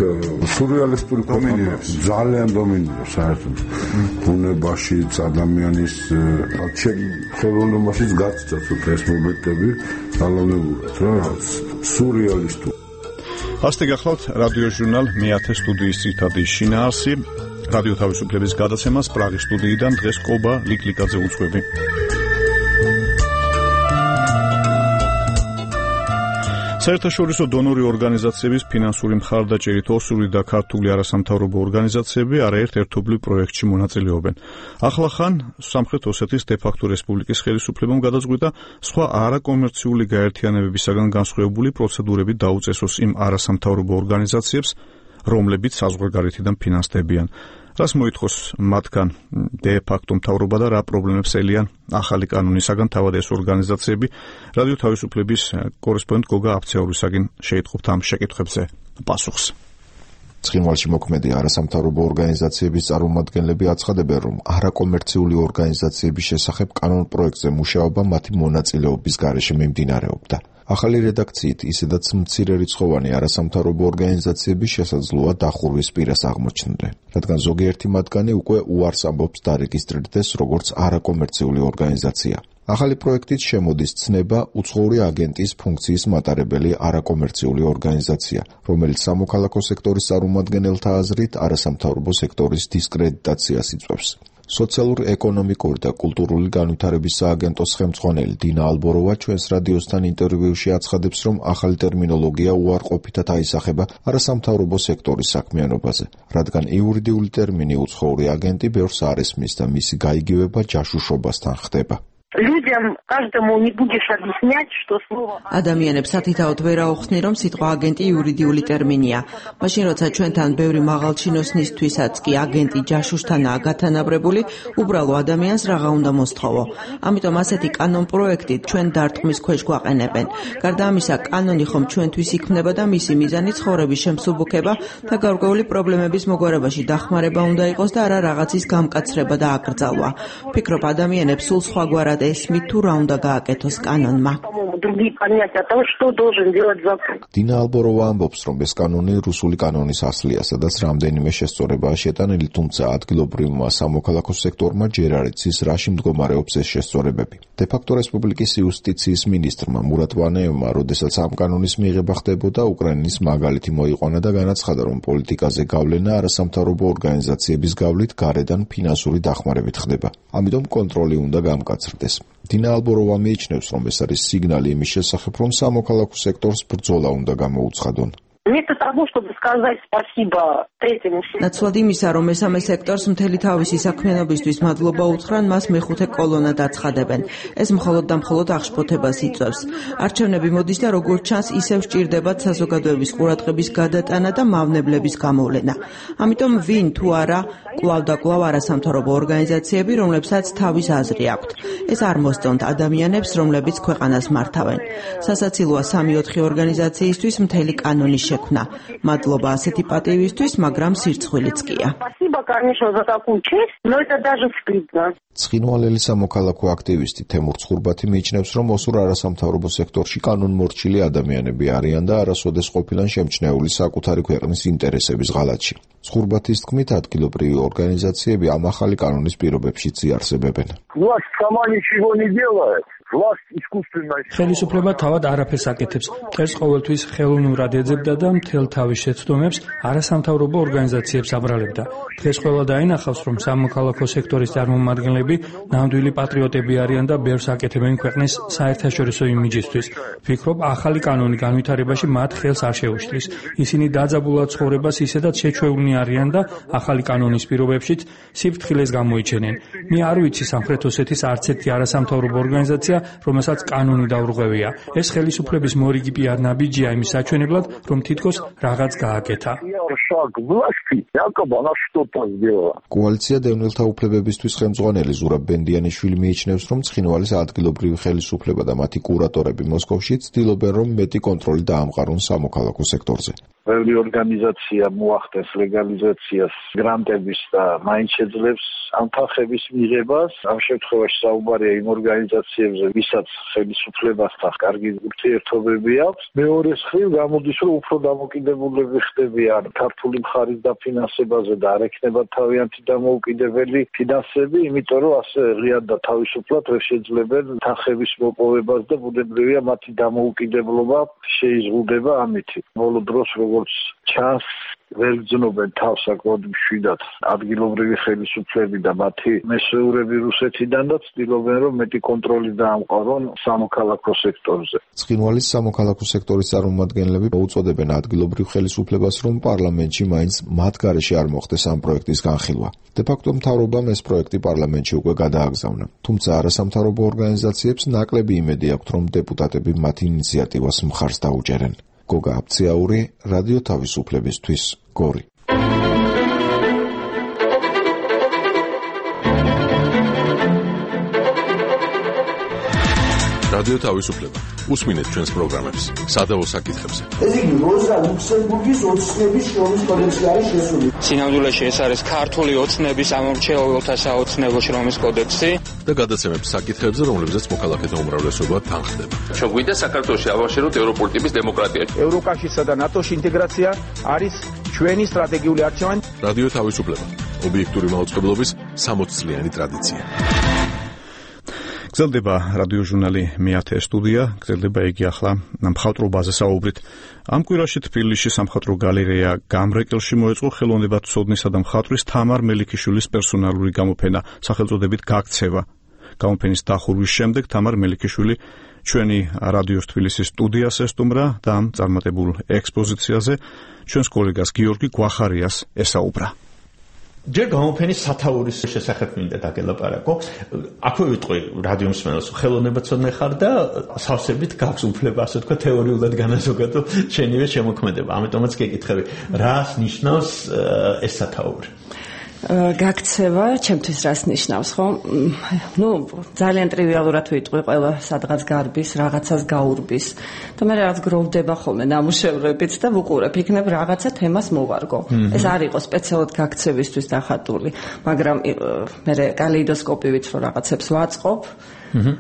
სურეალისტური დომინირებს, ძალიან დომინირებს საერთოდ ბუნებაში, ადამიანის ხელოვნებაშიც გაცდა ცოტა ეს მომენტები ძალაუნებურად რა სურეალისტური. ასეთი გახლავთ რადიო ჟურნალ მეათე სტუდიის ციტადი შინაარსი რადიო თავისუფლების გადაცემას პრაღის სტუდიიდან დღეს კობა ლიკლიკაძე უძღვები. საერთაშორისო დონორი ორგანიზაციების ფინანსური მხარდაჭერით ოსური და ქართული არასამთავრობო ორგანიზაციები არაერთ ერთობლივ პროექტში მონაწილეობენ. ახლახან სამხრეთ ოსეთის დე-ფაქტო რესპუბლიკის ხელისუფლებამ გადაწყვიტა სხვა არაკომერციული გაერთიანებებისაგან განსხვავებული პროცედურები დაუწესოს იმ არასამთავრობო ორგანიზაციებს, რომლებიც საზღვარგარეთიდან ფინანსდებიან. რას მოითხოვს მათგან დე-ფაქტო მთავრობა და რა პრობლემებს ელიან ახალი კანონისაგან თავად ეს ორგანიზაციები? რადიო თავისუფლების კორესპონდენტ გოგა აფცეურისაგან შეიტყობთ ამ შეკითხვებზე პასუხს. ცხინვალში მოქმედი არასამთავრობო ორგანიზაციების წარმომადგენლები აცხადებენ, რომ არაკომერციული ორგანიზაციების შესახებ კანონ პროექტზე მუშაობა მათი მონაწილეობის გარეშე მიმდინარეობდა. ახალი რედაქციით ისედაც მცირერიცხოვანი არასამთავრობო ორგანიზაციების შესაძლოა დახურვის პირას აღმოჩნდნენ, რადგან ზოგიერთი მათგანი უკვე უარს ამბობს დარეგისტრირდეს როგორც არაკომერციული ორგანიზაცია. ახალი პროექტით შემოდის ცნება უცხოური აგენტის ფუნქციის მატარებელი არაკომერციული ორგანიზაცია, რომელიც სამოქალაქო სექტორის წარმომადგენელთა აზრით არასამთავრობო სექტორის დისკრედიტაციას იწვევს. სოციალურ-ეკონომიკური და კულტურული განვითარების სააგენტოს ხელმძღვანელი დინა ალბოროვა ჩვენს რადიოსთან ინტერვიუში აცხადებს, რომ ახალი ტერმინოლოგია უარყოფითად აისახება არასამთავრობო სექტორის საქმიანობაზე, რადგან იურიდიული ტერმინი უცხოური აგენტი ბევრს არ ესმის და მისი გაიგივება ჯაშუშობასთან ხდება. Людям каждому не будешь объяснять, что слово ადამიანებს ათითაოდ ვერ აუხსნი, რომ სიტყვა აგენტი იურიდიული ტერმინია. მაშინ როცა ჩვენთან ბევრი მაღალჩინოსნისთვისაც კი აგენტი ჯაშუშთანაა გათანაბრებული, უბრალო ადამიანს რაღა უნდა მოსთხოვო. ამიტომ ასეთი კანონ პროექტით ჩვენ დარტყმის ქვეშ გვაყენებენ. გარდა ამისა, კანონი ხომ ჩვენთვის იქმნება და მისი მიზანი ცხოვრების შემსუბუქება და გარკვეული პრობლემების მოგვარებაში დახმარება უნდა იყოს და არა რაღაცის გამკაცრება და აკრძალვა. ვფიქრობ, ადამიანებს სულ სხვაგვარად ესმით თუ რა უნდა გააკეთოს კანონმა. დინა ალბოროვა ამბობს, რომ ეს კანონი რუსული კანონის ასლია, სადაც რამდენიმე შესწორებაა შეტანილი, თუმცა ადგილობრივმა სამოქალაქო სექტორმა ჯერ არ იცის, რაში მდგომარეობს ეს შესწორებები. დე-ფაქტო რესპუბლიკის იუსტიციის მინისტრმა მურატ ვანეევმა, როდესაც ამ კანონის მიღება ხდებოდა, უკრაინის მაგალითი მოიყვანა და განაცხადა, რომ პოლიტიკაზე გავლენა არასამთავრობო ორგანიზაციების გავლით გარედან ფინანსური დახმარებით ხდება. ამიტომ კონტროლი უნდა გამკაცრდეს. დინა ალბოროვა მიიჩნევს, რომ ეს არის სიგნალი იმის შესახებ, რომ სამოქალაქო სექტორს ბრძოლა უნდა გამოუცხადონ. Вместо того, чтобы сказать спасибо третьему сектору. ნაცვლად იმისა, რომ მესამე სექტორს მთელი თავისი საქმიანობისთვის მადლობა უთხრან, მას მეხუთე კოლონად აცხადებენ. ეს მხოლოდ და მხოლოდ აღშფოთებას იწვევს. არჩევნები მოდის და როგორც ჩანს, ისევ სჭირდებათ საზოგადოების ყურადღების გადატანა და მავნებლების გამოვლენა. ამიტომ ვინ თუ არა კვლავ და კვლავ არასამთავრობო ორგანიზაციები, რომლებსაც თავის აზრი აქვთ. ეს არ მოსწონთ ადამიანებს, რომლებიც ქვეყანას მართავენ. სასაცილოა სამი-ოთხი ორგანიზაციისთვის მთელი კანონის შექმნა. მადლობა ასეთი პატივისთვის, მაგრამ სირცხვილიც კია. Спасибо, конечно, за такую честь, но это даже стыдно. ცხინვალელი სამოქალაქო აქტივისტი თემურ ცხურბათი მიიჩნევს, რომ ოსურ არასამთავრობო სექტორში კანონმორჩილი ადამიანები არიან და არასოდეს ყოფილან შემჩნეული საკუთარი ქვეყნის ინტერესების ღალატში. ცხურბათის თქმით, ადგილობრივი ორგანიზაციები ამ ახალი კანონის პირობებშიც იარსებებენ. Власть сама ничего не делает. ხელისუფლება თავად არაფერს აკეთებს. მტერს ყოველთვის ხელოვნურად ეძებდა და მთელ თავის შეცდომებს არასამთავრობო ორგანიზაციებს აბრალებდა. დღეს ყველა დაინახავს, რომ სამოქალაქო სექტორის წარმომადგენლები ნამდვილი პატრიოტები არიან და ბევრს აკეთებენ ქვეყნის საერთაშორისო იმიჯისთვის. ვფიქრობ, ახალი კანონი განვითარებაში მათ ხელს არ შეუშლის. ისინი დაძაბულად ცხოვრებას ისედაც შეჩვეულნი არიან და ახალი კანონის პირობებშიც სიფრთხილეს გამოიჩენენ. მე არ ვიცი სამხრეთ ოსეთის არც ერთი არასამთავრობო ორგანიზაცია, რომელსაც კანონი დაურღვევია. ეს ხელისუფლების მორიგი პიარ ნაბიჯია იმის საჩვენებლად, რომ თითქოს რაღაც გააკეთა. კოალიცია დევნილთა უფლებებისთვის ხელმძღვანელი ზურაბ ბენდიანიშვილი მიიჩნევს, რომ ცხინვალის ადგილობრივი ხელისუფლება და მათი კურატორები მოსკოვში ცდილობენ, რომ მეტი კონტროლი დაამყარონ სამოქალაქო სექტორზე. ბევრი ორგანიზაცია მოახდენს ლეგალიზაციას გრანტების და მაინც შეძლებს ამ თანხების მიღებას. ამ შემთხვევაში საუბარია იმ ორგანიზაციებზე, ვისაც ხელისუფლებასთან კარგი ურთიერთობები აქვს. მეორეს მხრივ გამოდის, რომ უფრო დამოკიდებულები ხდებიან ქართული მხარის დაფინანსებაზე და არ ექნებათ თავიანთი დამოუკიდებელი ფინანსები, იმიტომ რომ ასე ღიად და თავისუფლად ვერ შეძლებენ თანხების მოპოვებას და ბუნებრივია მათი დამოუკიდებლობა შეიზღუდება ამით. ბოლო დროს როგორც ჩანს ვერ გძნობენ თავს საკმაოდ მშვიდად ადგილობრივი ხელისუფლები და მათი მესეურები რუსეთიდან და ცდილობენ რომ მეტი კონტროლი დაამყარონ სამოქალაქო სექტორზე. ცხინვალის სამოქალაქო სექტორის წარმომადგენლები უწოდებენ ადგილობრივ ხელისუფლებას რომ პარლამენტში მაინც მათ გარეშე არ მოხდეს ამ პროექტის განხილვა. დე-ფაქტო მთავრობამ ეს პროექტი პარლამენტში უკვე გადააგზავნა. თუმცა არასამთავრობო ორგანიზაციებს ნაკლები იმედი აქვთ რომ დეპუტატები მათ ინიციატივას მხარს დაუჭერენ. გოგა აფციაური, რადიო თავისუფლებისთვის, გორი. რადიო თავისუფლება. უსმინეთ ჩვენს პროგრამებს სადავო საკითხებზე. ეს იგი როზა ლუქსემბურგის ოცნების შრომის კოდექსი არის შესული. სინამდვილეში ეს არის ქართული ოცნების ამორჩეულთა საოცნებო შრომის კოდექსი და გადაცემებს საკითხებზე, რომლებზეც მოქალაქეთა უმრავლესობა თანხდება. ჩვენ გვინდა საქართველოში ავაშეროთ ევროპული ტიპის დემოკრატია. ევროკავშირსა და ნატოში ინტეგრაცია არის ჩვენი სტრატეგიული არჩევანი. რადიო თავისუფლება. ობიექტური მაუწყებლობის სამოც წლიანი ტრადიცია. გრძელდება რადიო ჟურნალი მეათე სტუდია, გრძელდება იგი ახლა მხატვრობაზე საუბრით. ამ კვირაში თბილისში სამხატვრო გალერეა გამრეკელში მოეწყო ხელოვნებათმცოდნისა და მხატვრის თამარ მელიქიშვილის პერსონალური გამოფენა სახელწოდებით გაქცევა. გამოფენის დახურვის შემდეგ თამარ მელიქიშვილი ჩვენი რადიოს თბილისის სტუდიას ესტუმრა და ამ წარმატებულ ექსპოზიციაზე ჩვენს კოლეგას გიორგი გვახარიას ესაუბრა. ჯერ გამოფენის სათაურის შესახებ მინდა დაგელაპარაკო. აქვე ვიტყვი რადიო მსმენელს, ხელოვნებაცოდნე ხარ და სავსებით გაქვს უფლება, ასე თქვა, თეორიულად განაზოგადო შენივე შემოქმედება. ამიტომაც გეკითხები, რას ნიშნავს ეს სათაური? გაქცევა, ჩემთვის რას ნიშნავს, ხო? ნუ ძალიან ტრივიალურად ვიტყვი, ყველა სადღაც გარბის, რაღაცას გაურბის. და მე რაღაც გროვდება ხოლმე ნამუშევრებიც და ვუყურებ, იქნებ რაღაცა თემას მოვარგო. ეს არ იყო სპეციალურად გაქცევისთვის დახატული, მაგრამ მე კალეიდოსკოპივით რო რაღაცებს ვაწყობ,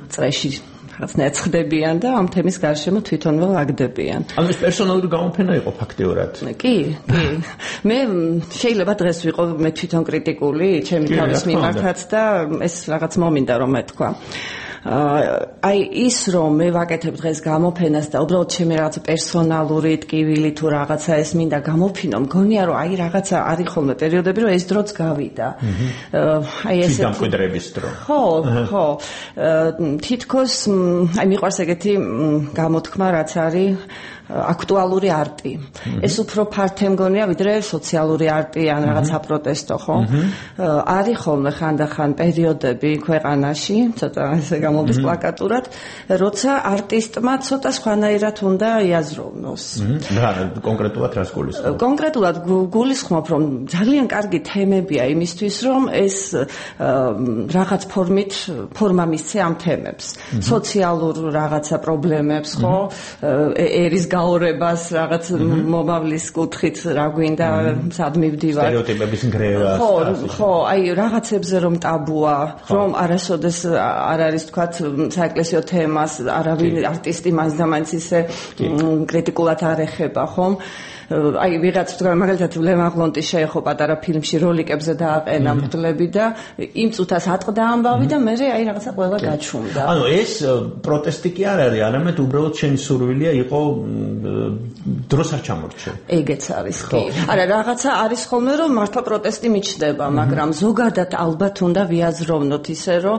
წრეში რაღაც ნეცხდებიან და ამ თემის გარშემო თვითონვე ვაგდებიან. ანუ ეს პერსონალური გამოფენა იყო ფაქტიურად? კი, კი. მე შეიძლება დღეს ვიყო მე თვითონ კრიტიკული, ჩემი თავის მიმართაც და ეს რაღაც მომინდა რომ მეთქვა. აი ის რომ მე ვაკეთებ დღეს გამოფენას და უბრალოდ ჩემი რაღაც პერსონალური ტკივილი თუ რაღაცა ეს მინდა გამოფინო, მგონია რომ აი რაღაცა არის ხოლმე პერიოდები რომ ეს დროც გავიდა. აი ეს დამკვიდრების დრო. ხო, ხო. თითქოს აი მიყვარს ეგეთი გამოთქმა რაც არის აქტუალური არტი. ეს უფრო ფართე მგონია ვიდრე სოციალური არტი ან რაღაც საპროტესტო, ხო? არის ხოლმე ხანდახან პერიოდები ქვეყანაში, ცოტა ესე გამოდის პლაკატურად, როცა არტისტმა ცოტა სხვანაირად უნდა იაზროვნოს. რა, კონკრეტულად რას გულისხმობ? კონკრეტულად გულისხმობ, რომ ძალიან კარგი თემებია იმისთვის, რომ ეს რაღაც ფორმით ფორმა მისცე ამ თემებს. სოციალურ რაღაცა პრობლემებს, ხო? ერის გაორებას რაღაც მომავლის კუთხით რა გვინდა სად მივდივარ სტერეოტიპების ნგრევას ხო ხო აი რაღაცებზე რომ ტაბუა რომ არასოდეს არ არის თქვათ საეკლესიო თემას არავინ არტისტი მას და მაინც ისე კრიტიკულად არ ეხება ხომ აი ვიღაც თქვა მაგალითად ლემაღლონტი შეეხო პატარა ფილმში როლიკებზე დააყენა მგლები და იმ წუთას ატყდა ამბავი და მე აი რაღაცა ყველა გაჩუმდა. ანუ ეს პროტესტი კი არ არის, არამედ უბრალოდ შენი სურვილია იყო დროს არ ჩამორჩე. ეგეც არის კი. არა რაღაცა არის ხოლმე რომ მართლა პროტესტი მიჩნდება, მაგრამ ზოგადად ალბათ უნდა ვიაზროვნოთ ისე რომ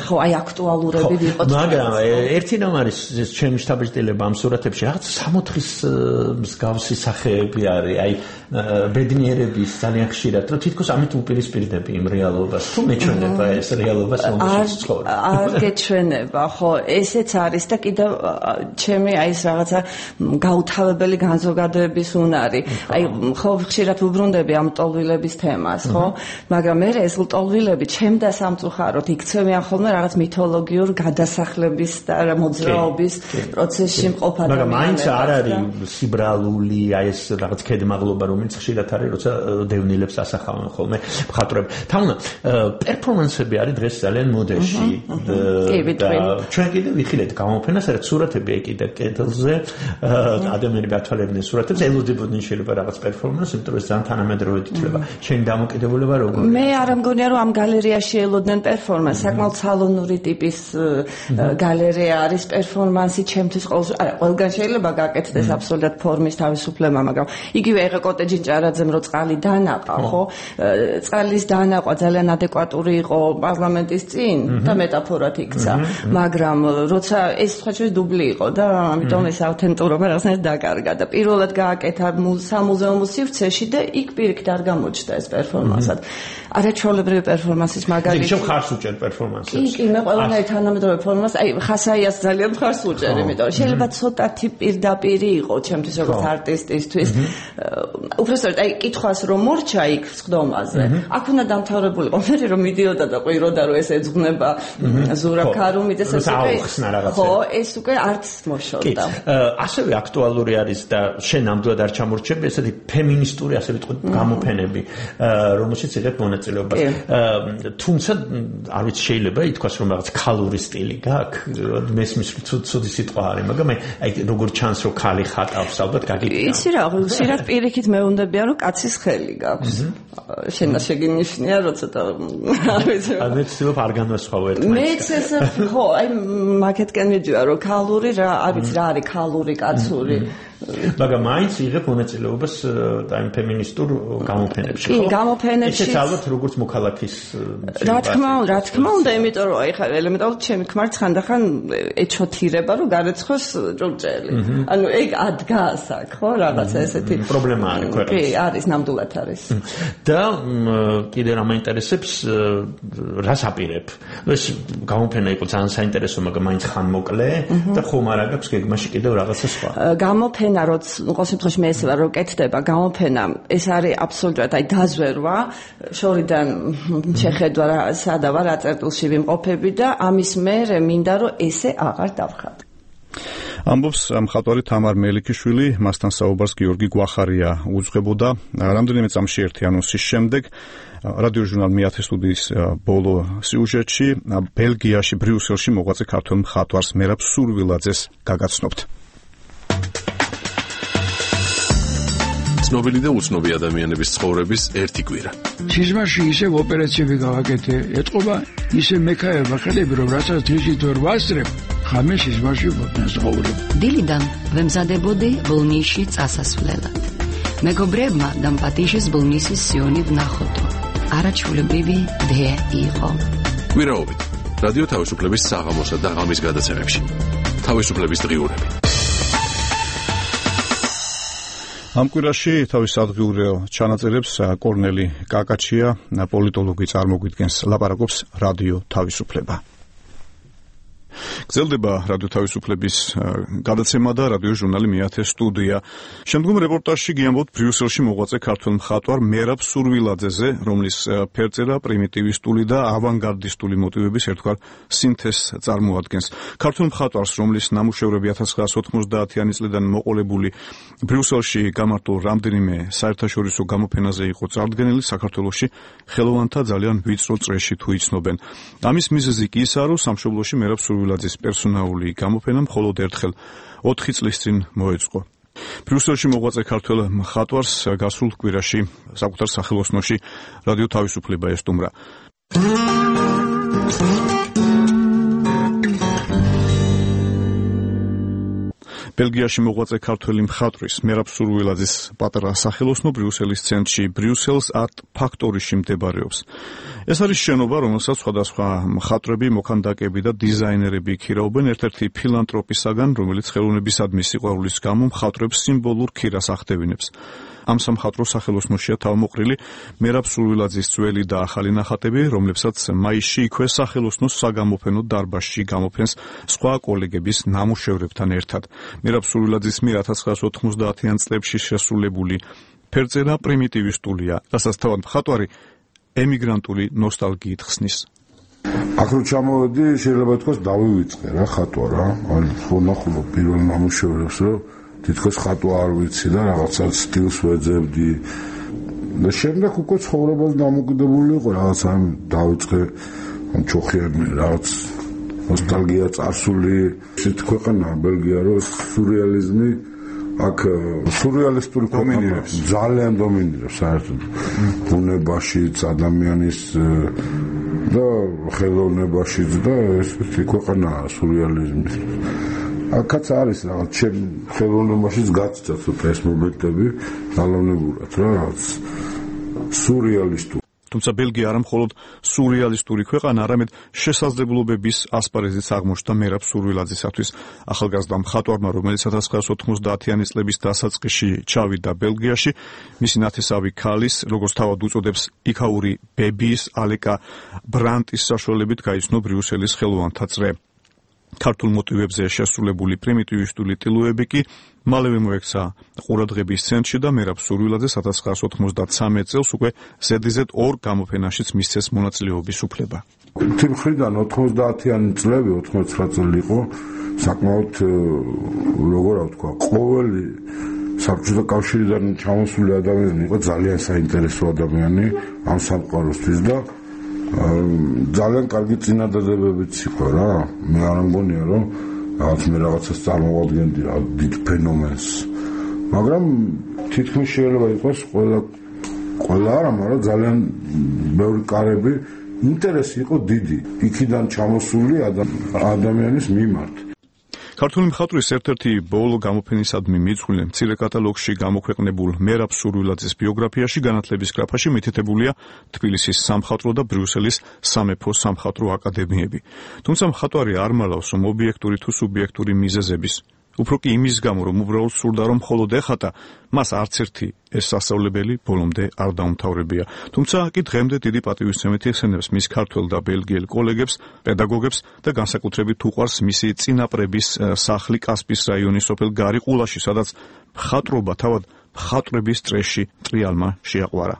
ხო აი აქტუალურები ვიყოთ. მაგრამ ერთი რამ არის ეს ჩემი შთაბეჭდილება ამ სურათებში რაღაც სამოთხის მსგავსი სახეები არის, აი ბედნიერების ძალიან ხშირად, რომ თითქოს ამით უპირისპირდები იმ რეალობას. თუ მეჩვენება ეს რეალობას, რომელშიც ცხოვრობ. არ გეჩვენება, ხო, ესეც არის და კიდევ ჩემი აი ეს რაღაცა გაუთავებელი განზოგადოების უნარი. აი ხო ხშირად ვუბრუნდები ამ ლტოლვილების თემას, ხო? მაგრამ მე ეს ლტოლვილები ჩემდა სამწუხაროდ იქცევიან ხოლმე რაღაც მითოლოგიურ გადასახლების და მოძრაობის პროცესში მყოფ ადამიანებს. მაგრამ მაინც არ არის სიბრალული აი ეს რაღაც ქედმაღლობა რომელიც ხშირად არის როცა დევნილებს ასახავენ ხოლმე მხატვრები. თამუნა პერფორმანსები არის დღეს ძალიან მოდეში და ჩვენ კიდე ვიხილეთ გამოფენას, რაც სურათები ეკიდა კედელზე, ადამიანები ათვალებდნენ სურათებს, ელოდებოდნენ შეიძლება რაღაც პერფორმანსს, იმიტომ რომ ძალიან თანამედროვე ითვლება. შენი დამოკიდებულება როგორია? მე არ მგონია რომ ამ გალერეაში ელოდნენ პერფორმანსს, საკმაოდ სალონური ტიპის გალერეა არის პერფორმანსი ჩემთვის ყოველს, არა, ყველგან შეიძლება გაკეთდეს აბსოლუტურად ფორმის თავისუფლება, მაგრამ იგივე ეხა კოტეჯი ჭარაძემ რო წყალი დანაყა, ხო? წყალის დანაყვა ძალიან ადეკვატური იყო პარლამენტის წინ და მეტაფორად იქცა, მაგრამ როცა ეს სხვა შეიძლება დუბლი იყო და ამიტომ ეს ავთენტურობა რაღაცნაირად დაკარგა და პირველად გააკეთა სამუზეუმო სივრცეში და იქ პირიქით არ გამოჩნდა ეს პერფორმანსად. არაჩვეულებრივი პერფორმანსის მაგალითი. შენ ხარს უჭერ პერფორმანსებს? კი, კი, მე ყველანაირ თანამედროვე პერფორმანსს, აი ხასაიას ძალიან ხარს უჭერ, იმიტომ რომ შეიძლება ცოტათი პირდაპირი იყო ჩემთვის როგორც არტისტისთვის. უბრალოდ აი კითხვას რომ მორჩა იქ სხდომაზე. აქ უნდა დამთავრებულიყო, მე რომ მიდიოდა და ყვიროდა რომ ეს ეძღვნება ზურაბ ქარუმიძეს ეს უკვე ხო, ეს უკვე არც მოშორდა. ასევე აქტუალური არის და შენ ნამდვილად არ ჩამორჩები ესეთი ფემინისტური ასე ვიტყვი გამოფენები, რომელშიც იღებ მონაწილეობას. თუმცა არ ვიცი შეიძლება ითქვას რომ რაღაც ქალური სტილი გაქვს, მესმის ცუდი სიტყვა არის, მაგრამ აი როგორ ჩანს რომ ქალი ხატავს, ალბათ გაგიგია. იცი რა, ხშირად პირიქით მეუნდებიან რომ კაცის ხელი გაქვს. შენ შეგინიშნია რომ ცოტა არ ვიცი. მე ვცდილობ არ განვასხვავო ერთმანეთს. მეც ეს ხო, აი მაგეთკენ მიდივა რომ ქალური რა, არ ვიცი რა არის ქალური, კაცური. მაგრამ მაინც იღებ მონაწილეობას აი ფემინისტურ გამოფენებში, ხო? კი, გამოფენებში. ესეც ალბათ როგორც მოქალაქის რა თქმა უნდა, რა თქმა უნდა, იმიტომ რომ აი ხა ელემენტარულად ჩემი ქმართ ხანდახან ეჩოთირება რომ გარეცხოს ჭურჭელი. ანუ ეგ ადგას აქ, ხო, რაღაცა ესეთი პრობლემა არის ქვეყნის. კი, არის, ნამდვილად არის. და კიდე რა მაინტერესებს, რას აპირებ? ეს გამოფენა იყო ძალიან საინტერესო, მაგრამ მაინც ხან მოკლე და ხომ არ აგებს გეგმაში კიდევ რაღაცა სხვა. გამოფენა როც ყოველ შემთხვევაში მე ესევა რომ კეთდება გამოფენა, ეს არის აბსოლუტურად აი დაზვერვა, შორიდან შეხედვა რა სადა ვარ, რა წერტილში ვიმყოფები და ამის მერე მინდა რომ ესე აღარ დავხატო. ამბობს მხატვარი თამარ მელიქიშვილი, მასთან საუბარს გიორგი გვახარია უძღვებოდა. რამდენიმე წამში ერთი ანონსის შემდეგ რადიო ჟურნალ მეათე სტუდიის ბოლო სიუჟეტში ბელგიაში ბრიუსელში მოღვაწე ქართველ მხატვარს მერაბ სურვილაძეს გაგაცნობთ. ცნობილი და უცნობი ადამიანების ცხოვრების ერთი კვირა. სიზმარში ისევ ოპერაციები გავაკეთე, ეთყობა ისე მექაება ხელები, რომ რასაც დღისით ვერ ვასწრებ, ხამე სიზმარში ვცხოვრობ. დილიდან ვემზადებოდი ბოლნისში წასასვლელად. მეგობრებმა დამპატიშეს ბოლნისის სიონი ვნახოთო. არაჩვეულებრივი დე იყო. კვირაობით რადიო თავისუფლების საღამოსა და ღამის გადაცემებში. თავისუფლების დღიურები. ამ კვირაში თავის ადგილობრივ ჩანაწერებს კორნელი კაკაჩია, პოლიტოლოგი წარმოგვიდგენს, ლაპარაკობს რადიო თავისუფლება. გრძელდება რადიო თავისუფლების გადაცემა და რადიო ჟურნალი მეათე სტუდია. შემდგომ რეპორტაჟში გიამბობთ ბრიუსელში მოღვაწე ქართველ მხატვარ მერაბ სურვილაძეზე, რომლის ფერწერა პრიმიტივისტული და ავანგარდისტული მოტივების ერთგვარ სინთეზს წარმოადგენს. ქართველ მხატვარს, რომლის ნამუშევრები ათას ცხრაასი ოცდაათიანი წლიდან მოყოლებული ბრიუსელში გამართულ რამდენიმე საერთაშორისო გამოფენაზე იყო წარდგენილი, საქართველოში ხელოვანთა ძალიან ვიწრო წრეში თუ იცნობენ. ამის მიზეზი კი ისაა, რომ სამშობლოში მერაბ სურვილაძის პერსონალური გამოფენა მხოლოდ ერთხელ ოთხი წლის წინ მოეწყო. ბრიუსელში მოღვაწე ქართველ მხატვარს გასულ კვირაში საკუთარ სახელოსნოში რადიო თავისუფლება ესტუმრა. ბელგიაში მოღვაწე ქართველი მხატვრის მერაბ სურვილაძის პატარა სახელოსნო ბრიუსელის ცენტრში ბრიუსელს არტ ფაქტორიში მდებარეობს. ეს არის შენობა, რომელსაც სხვადასხვა მხატვრები, მოქანდაკეები და დიზაინერები ქირაობენ ერთ-ერთი ფილანტროპისაგან, რომელიც ხელოვნებისადმი სიყვარულის გამო მხატვრებს სიმბოლურ ქირას ახდევინებს. ამ სამხატვრო სახელოსნოშია თავმოყრილი მერაბ სურვილაძის ძველი და ახალი ნახატები, რომლებსაც მაისში იქვე სახელოსნოს საგამოფენო დარბაზში გამოფენს სხვა კოლეგების ნამუშევრებთან ერთად. მერაბ სურვილაძის მიერ ათას ცხრაასი ოცდაათიან წლებში შესრულებული ფერწერა პრიმიტივისტულია, რასაც თავად მხატვარი ემიგრანტული ნოსტალგიით ხსნის. აქ რო ჩამოვედი, შეიძლება ითქვას დავივიწყე რა ხატვა რა. აი, ხონახულობ პირველ ნამუშევრებს, რომ თითქოს ხატვა არ ვიცი და რაღაცა სტილს ვეძებდი. და შემდეგ უკვე ცხოვრებას დამოკიდებული იყო, რაღაც ამ დავიწყე ამ ჩოხიანი რაღაც ნოსტალგია წარსული, ისეთი ქვეყანა ბელგია, რომ სურეალიზმი აქ სურეალისტური დომინირებს, ძალიან დომინირებს საერთოდ ბუნებაშიც, ადამიანის და ხელოვნებაშიც და ესეთი ქვეყანაა სურეალიზმი. აქაც არის რაღაც ჩემ ხელოვნებაშიც გაცდა ცოტა ეს მომენტები ძალოვნებურად რა რაღაც სურეალისტური. თუმცა ბელგია არა მხოლოდ სურეალისტური ქვეყანა, არამედ შესაძლებლობების ასპარეზიც აღმოჩნდა მერაბ სურვილაძისათვის. ახალგაზრდა მხატვარმა, რომელიც ოთხ ათას ოცდაათიანი წლების დასაწყისში ჩავიდა ბელგიაში, მისი ნათესავი ქალის, როგორც თავად უწოდებს, იქაური ბებიის ალეკა ბრანტის საშუალებით გაიცნო ბრიუსელის ხელოვანთა წრე. ქართულ მოტივებზე შესრულებული პრიმიტივისტული ტილოები კი მალევე მოექცა ყურადღების ცენტრში და მერაბ სურვილაძეს ოთხ ათას ოცდამეცხრე წელს უკვე ზედიზედ ორ გამოფენაშიც მისცეს მონაწილეობის უფლება. თიმხრიდან ოცდაათიანი წლები, ოცდაათი წელი იყო საკმაოდ როგორ ვთქვა, ყოველი საბჭოთა კავშირიდან ჩამოსული ადამიანი იყო ძალიან საინტერესო ადამიანი ამ სამყაროსთვის და ძალიან კარგი წინადადებებიც იყო რა. მე არ მგონია რომ რაღაც მე რაღაცას წარმოვადგენდი რა დიდ ფენომენს. მაგრამ თითქმის შეიძლება იყოს ყველა ყველა არა, მაგრამ ძალიან ბევრი კარები ინტერესი იყო დიდი იქიდან ჩამოსული ადამიანის მიმართ. ქართული მხატვრის ერთ-ერთი ბოლო გამოფენისადმი მიძღვნილ მცირე კატალოგში გამოქვეყნებულ მერაბ სურვილაძის ბიოგრაფიაში განათლების გრაფაში მითითებულია თბილისის სამხატვრო და ბრიუსელის სამეფო სამხატვრო აკადემიები. თუმცა მხატვარი არ მალავს რომ ობიექტური თუ სუბიექტური მიზეზების, უფრო კი იმის გამო რომ უბრალოდ სურდა რომ მხოლოდ ეხატა, მას არც ერთი ეს სასწავლებელი ბოლომდე არ დაუმთავრებია. თუმცა კი დღემდე დიდი პატივისცემით იხსენებს მის ქართველ და ბელგიელ კოლეგებს, პედაგოგებს და განსაკუთრებით უყვარს მისი წინაპრების სახლი კასპის რაიონის სოფელ გარიყულაში, სადაც მხატვრობა თავად მხატვრების წრეში ტრიალმა შეაყვარა.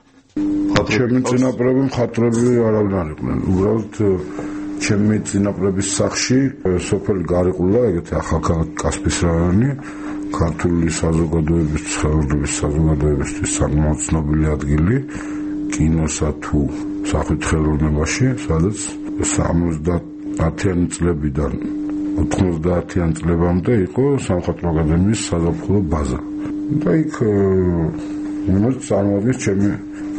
ჩემი წინაპრები მხატვრები არავინ არ იყვნენ, უბრალოდ ჩემი წინაპრების სახლში სოფელ გარიყულა, ეგეთი ახალქალაქი კასპის რაიონი, ქართული საზოგადოების ცხოვრების საზოგადოებისთვის საკმაოდ ცნობილი ადგილი კინოსა თუ სახვითი ხელოვნებაში, სადაც სამოცდაათიანი წლებიდან ოცდაათიანი წლებამდე იყო სამხატვრო აკადემიის საზაფხულო ბაზა. და იქ მომეც წარმოადგენს ჩემი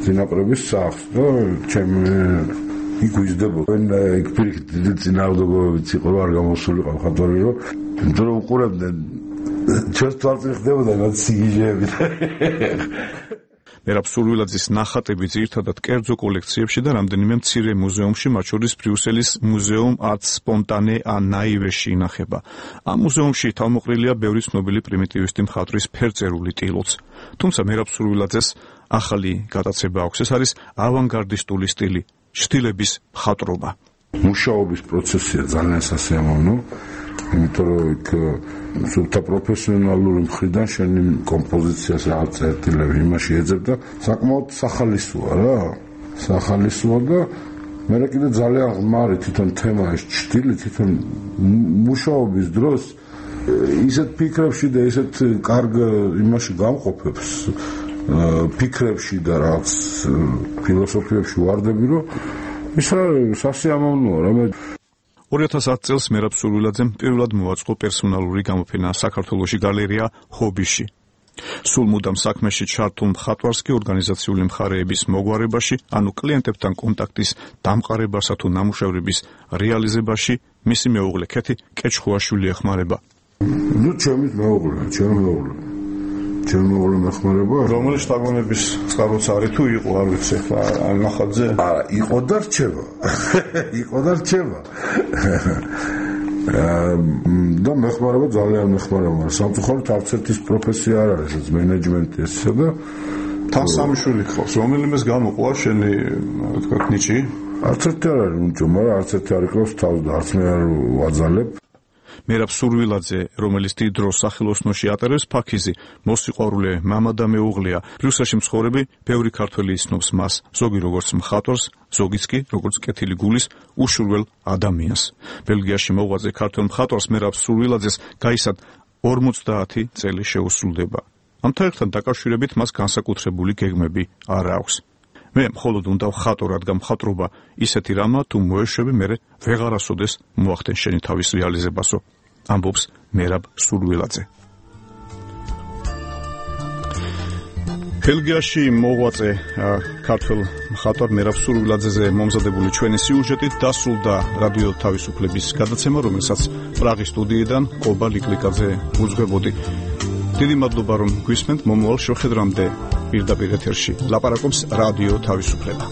წინაპრების სახლს და ჩემი იქ ვიზრდებოდა. იქ პირიქით დიდი წინააღმდეგობებიც იყო, რომ არ გამოსულიყო მხატვარი, რომ იმიტომ რომ უყურებდნენ ჩვენს თვალწინ ხდებოდა მათ სიგიჟეები. მერაბ სურვილაძის ნახატები ძირითადად კერძო კოლექციებში და რამდენიმე მცირე მუზეუმში, მათ შორის ბრიუსელის მუზეუმ art spontane a naive-ში ინახება. ამ მუზეუმში თავმოყრილია ბევრი ცნობილი პრიმიტივისტი მხატვრის ფერწერული ტილოც. თუმცა მერაბ სურვილაძეს ახალი გატაცება აქვს, ეს არის ავანგარდისტული სტილი, შტილების მხატვრობა. მუშაობის პროცესია ძალიან სასიამოვნო, იმიტომ რომ იქ სულთა პროფესიონალური მხრიდან შენი კომპოზიციას რაღაც წერტილები იმაში ეძებ და საკმაოდ სახალისოა რა. სახალისოა და მე კიდე ძალიან ღმარი თვითონ თემა ეს შტილი, თვითონ მუშაობის დროს ისეთ ფიქრებში და ისეთ კარგ იმაში გამყოფებს ფიქრებში და რაღაც ფილოსოფიებში ვარდები, რომ ის რა სასიამოვნოა რა. მე ორი ათას ათი წელს მერაბ სურვილაძემ პირველად მოაწყო პერსონალური გამოფენა საქართველოში გალერეა ჰობიში. სულ მუდამ საქმეში ჩართულ მხატვარს კი ორგანიზაციული მხარეების მოგვარებაში, ანუ კლიენტებთან კონტაქტის დამყარებასა თუ ნამუშევრების რეალიზებაში მისი მეუღლე ქეთი კეჩხუაშვილი ეხმარება. ნუ ჩემი მეუღლე, ჩემი მეუღლე. ჩემი მეუღლე მეხმარება. რომელი შტაბონების წყაროც არის თუ იყო, არ ვიცი ახლა ან ნახატზე. არა, იყო და რჩება. იყო და რჩება. და მეხმარება ძალიან მეხმარება. სამწუხაროდ არც ერთის პროფესია არ არის, ეს მენეჯმენტი ესა და თან სამი შვილი გყავს. რომელიმეს გამოყვა შენი, თქვა, ნიჭი? არც ერთი არ არის უნჭო, მაგრამ არც ერთი არ იყავს თავს და არც მე არ ვაძალებ. მერაბ სურვილაძე, რომელიც დიდ დროს სახელოსნოში ატარებს ფაქიზი, მოსიყვარულე მამა და მეუღლეა. ბრიუსელში მცხოვრები ბევრი ქართველი იცნობს მას, ზოგი როგორც მხატვარს, ზოგიც კი როგორც კეთილი გულის უშურველ ადამიანს. ბელგიაში მოღვაწე ქართველ მხატვარს მერაბ სურვილაძეს გაისად ორმოცდაათი წელი შეუსრულდება. ამთან ერთად დაკავშირებით მას განსაკუთრებული გეგმები არ აქვს. მე მხოლოდ უნდა ვხატო, რადგან მხატვრობა ისეთი რამა, თუ მოეშვები, მერე ვეღარასოდეს მოახდენ შენი თავის რეალიზებასო, ამბობს მერაბ სურვილაძე. ბელგიაში მოღვაწე ქართველ მხატვარ მერაბ სურვილაძეზე მომზადებული ჩვენი სიუჟეტით დასრულდა რადიო თავისუფლების გადაცემა, რომელსაც პრაღის სტუდიიდან კობა ლიკლიკაძე უძღვებოდი. დიდი მადლობა, რომ გვისმენთ. მომავალ შეხვედრამდე პირდაპირ ეთერში ლაპარაკობს რადიო თავისუფლება.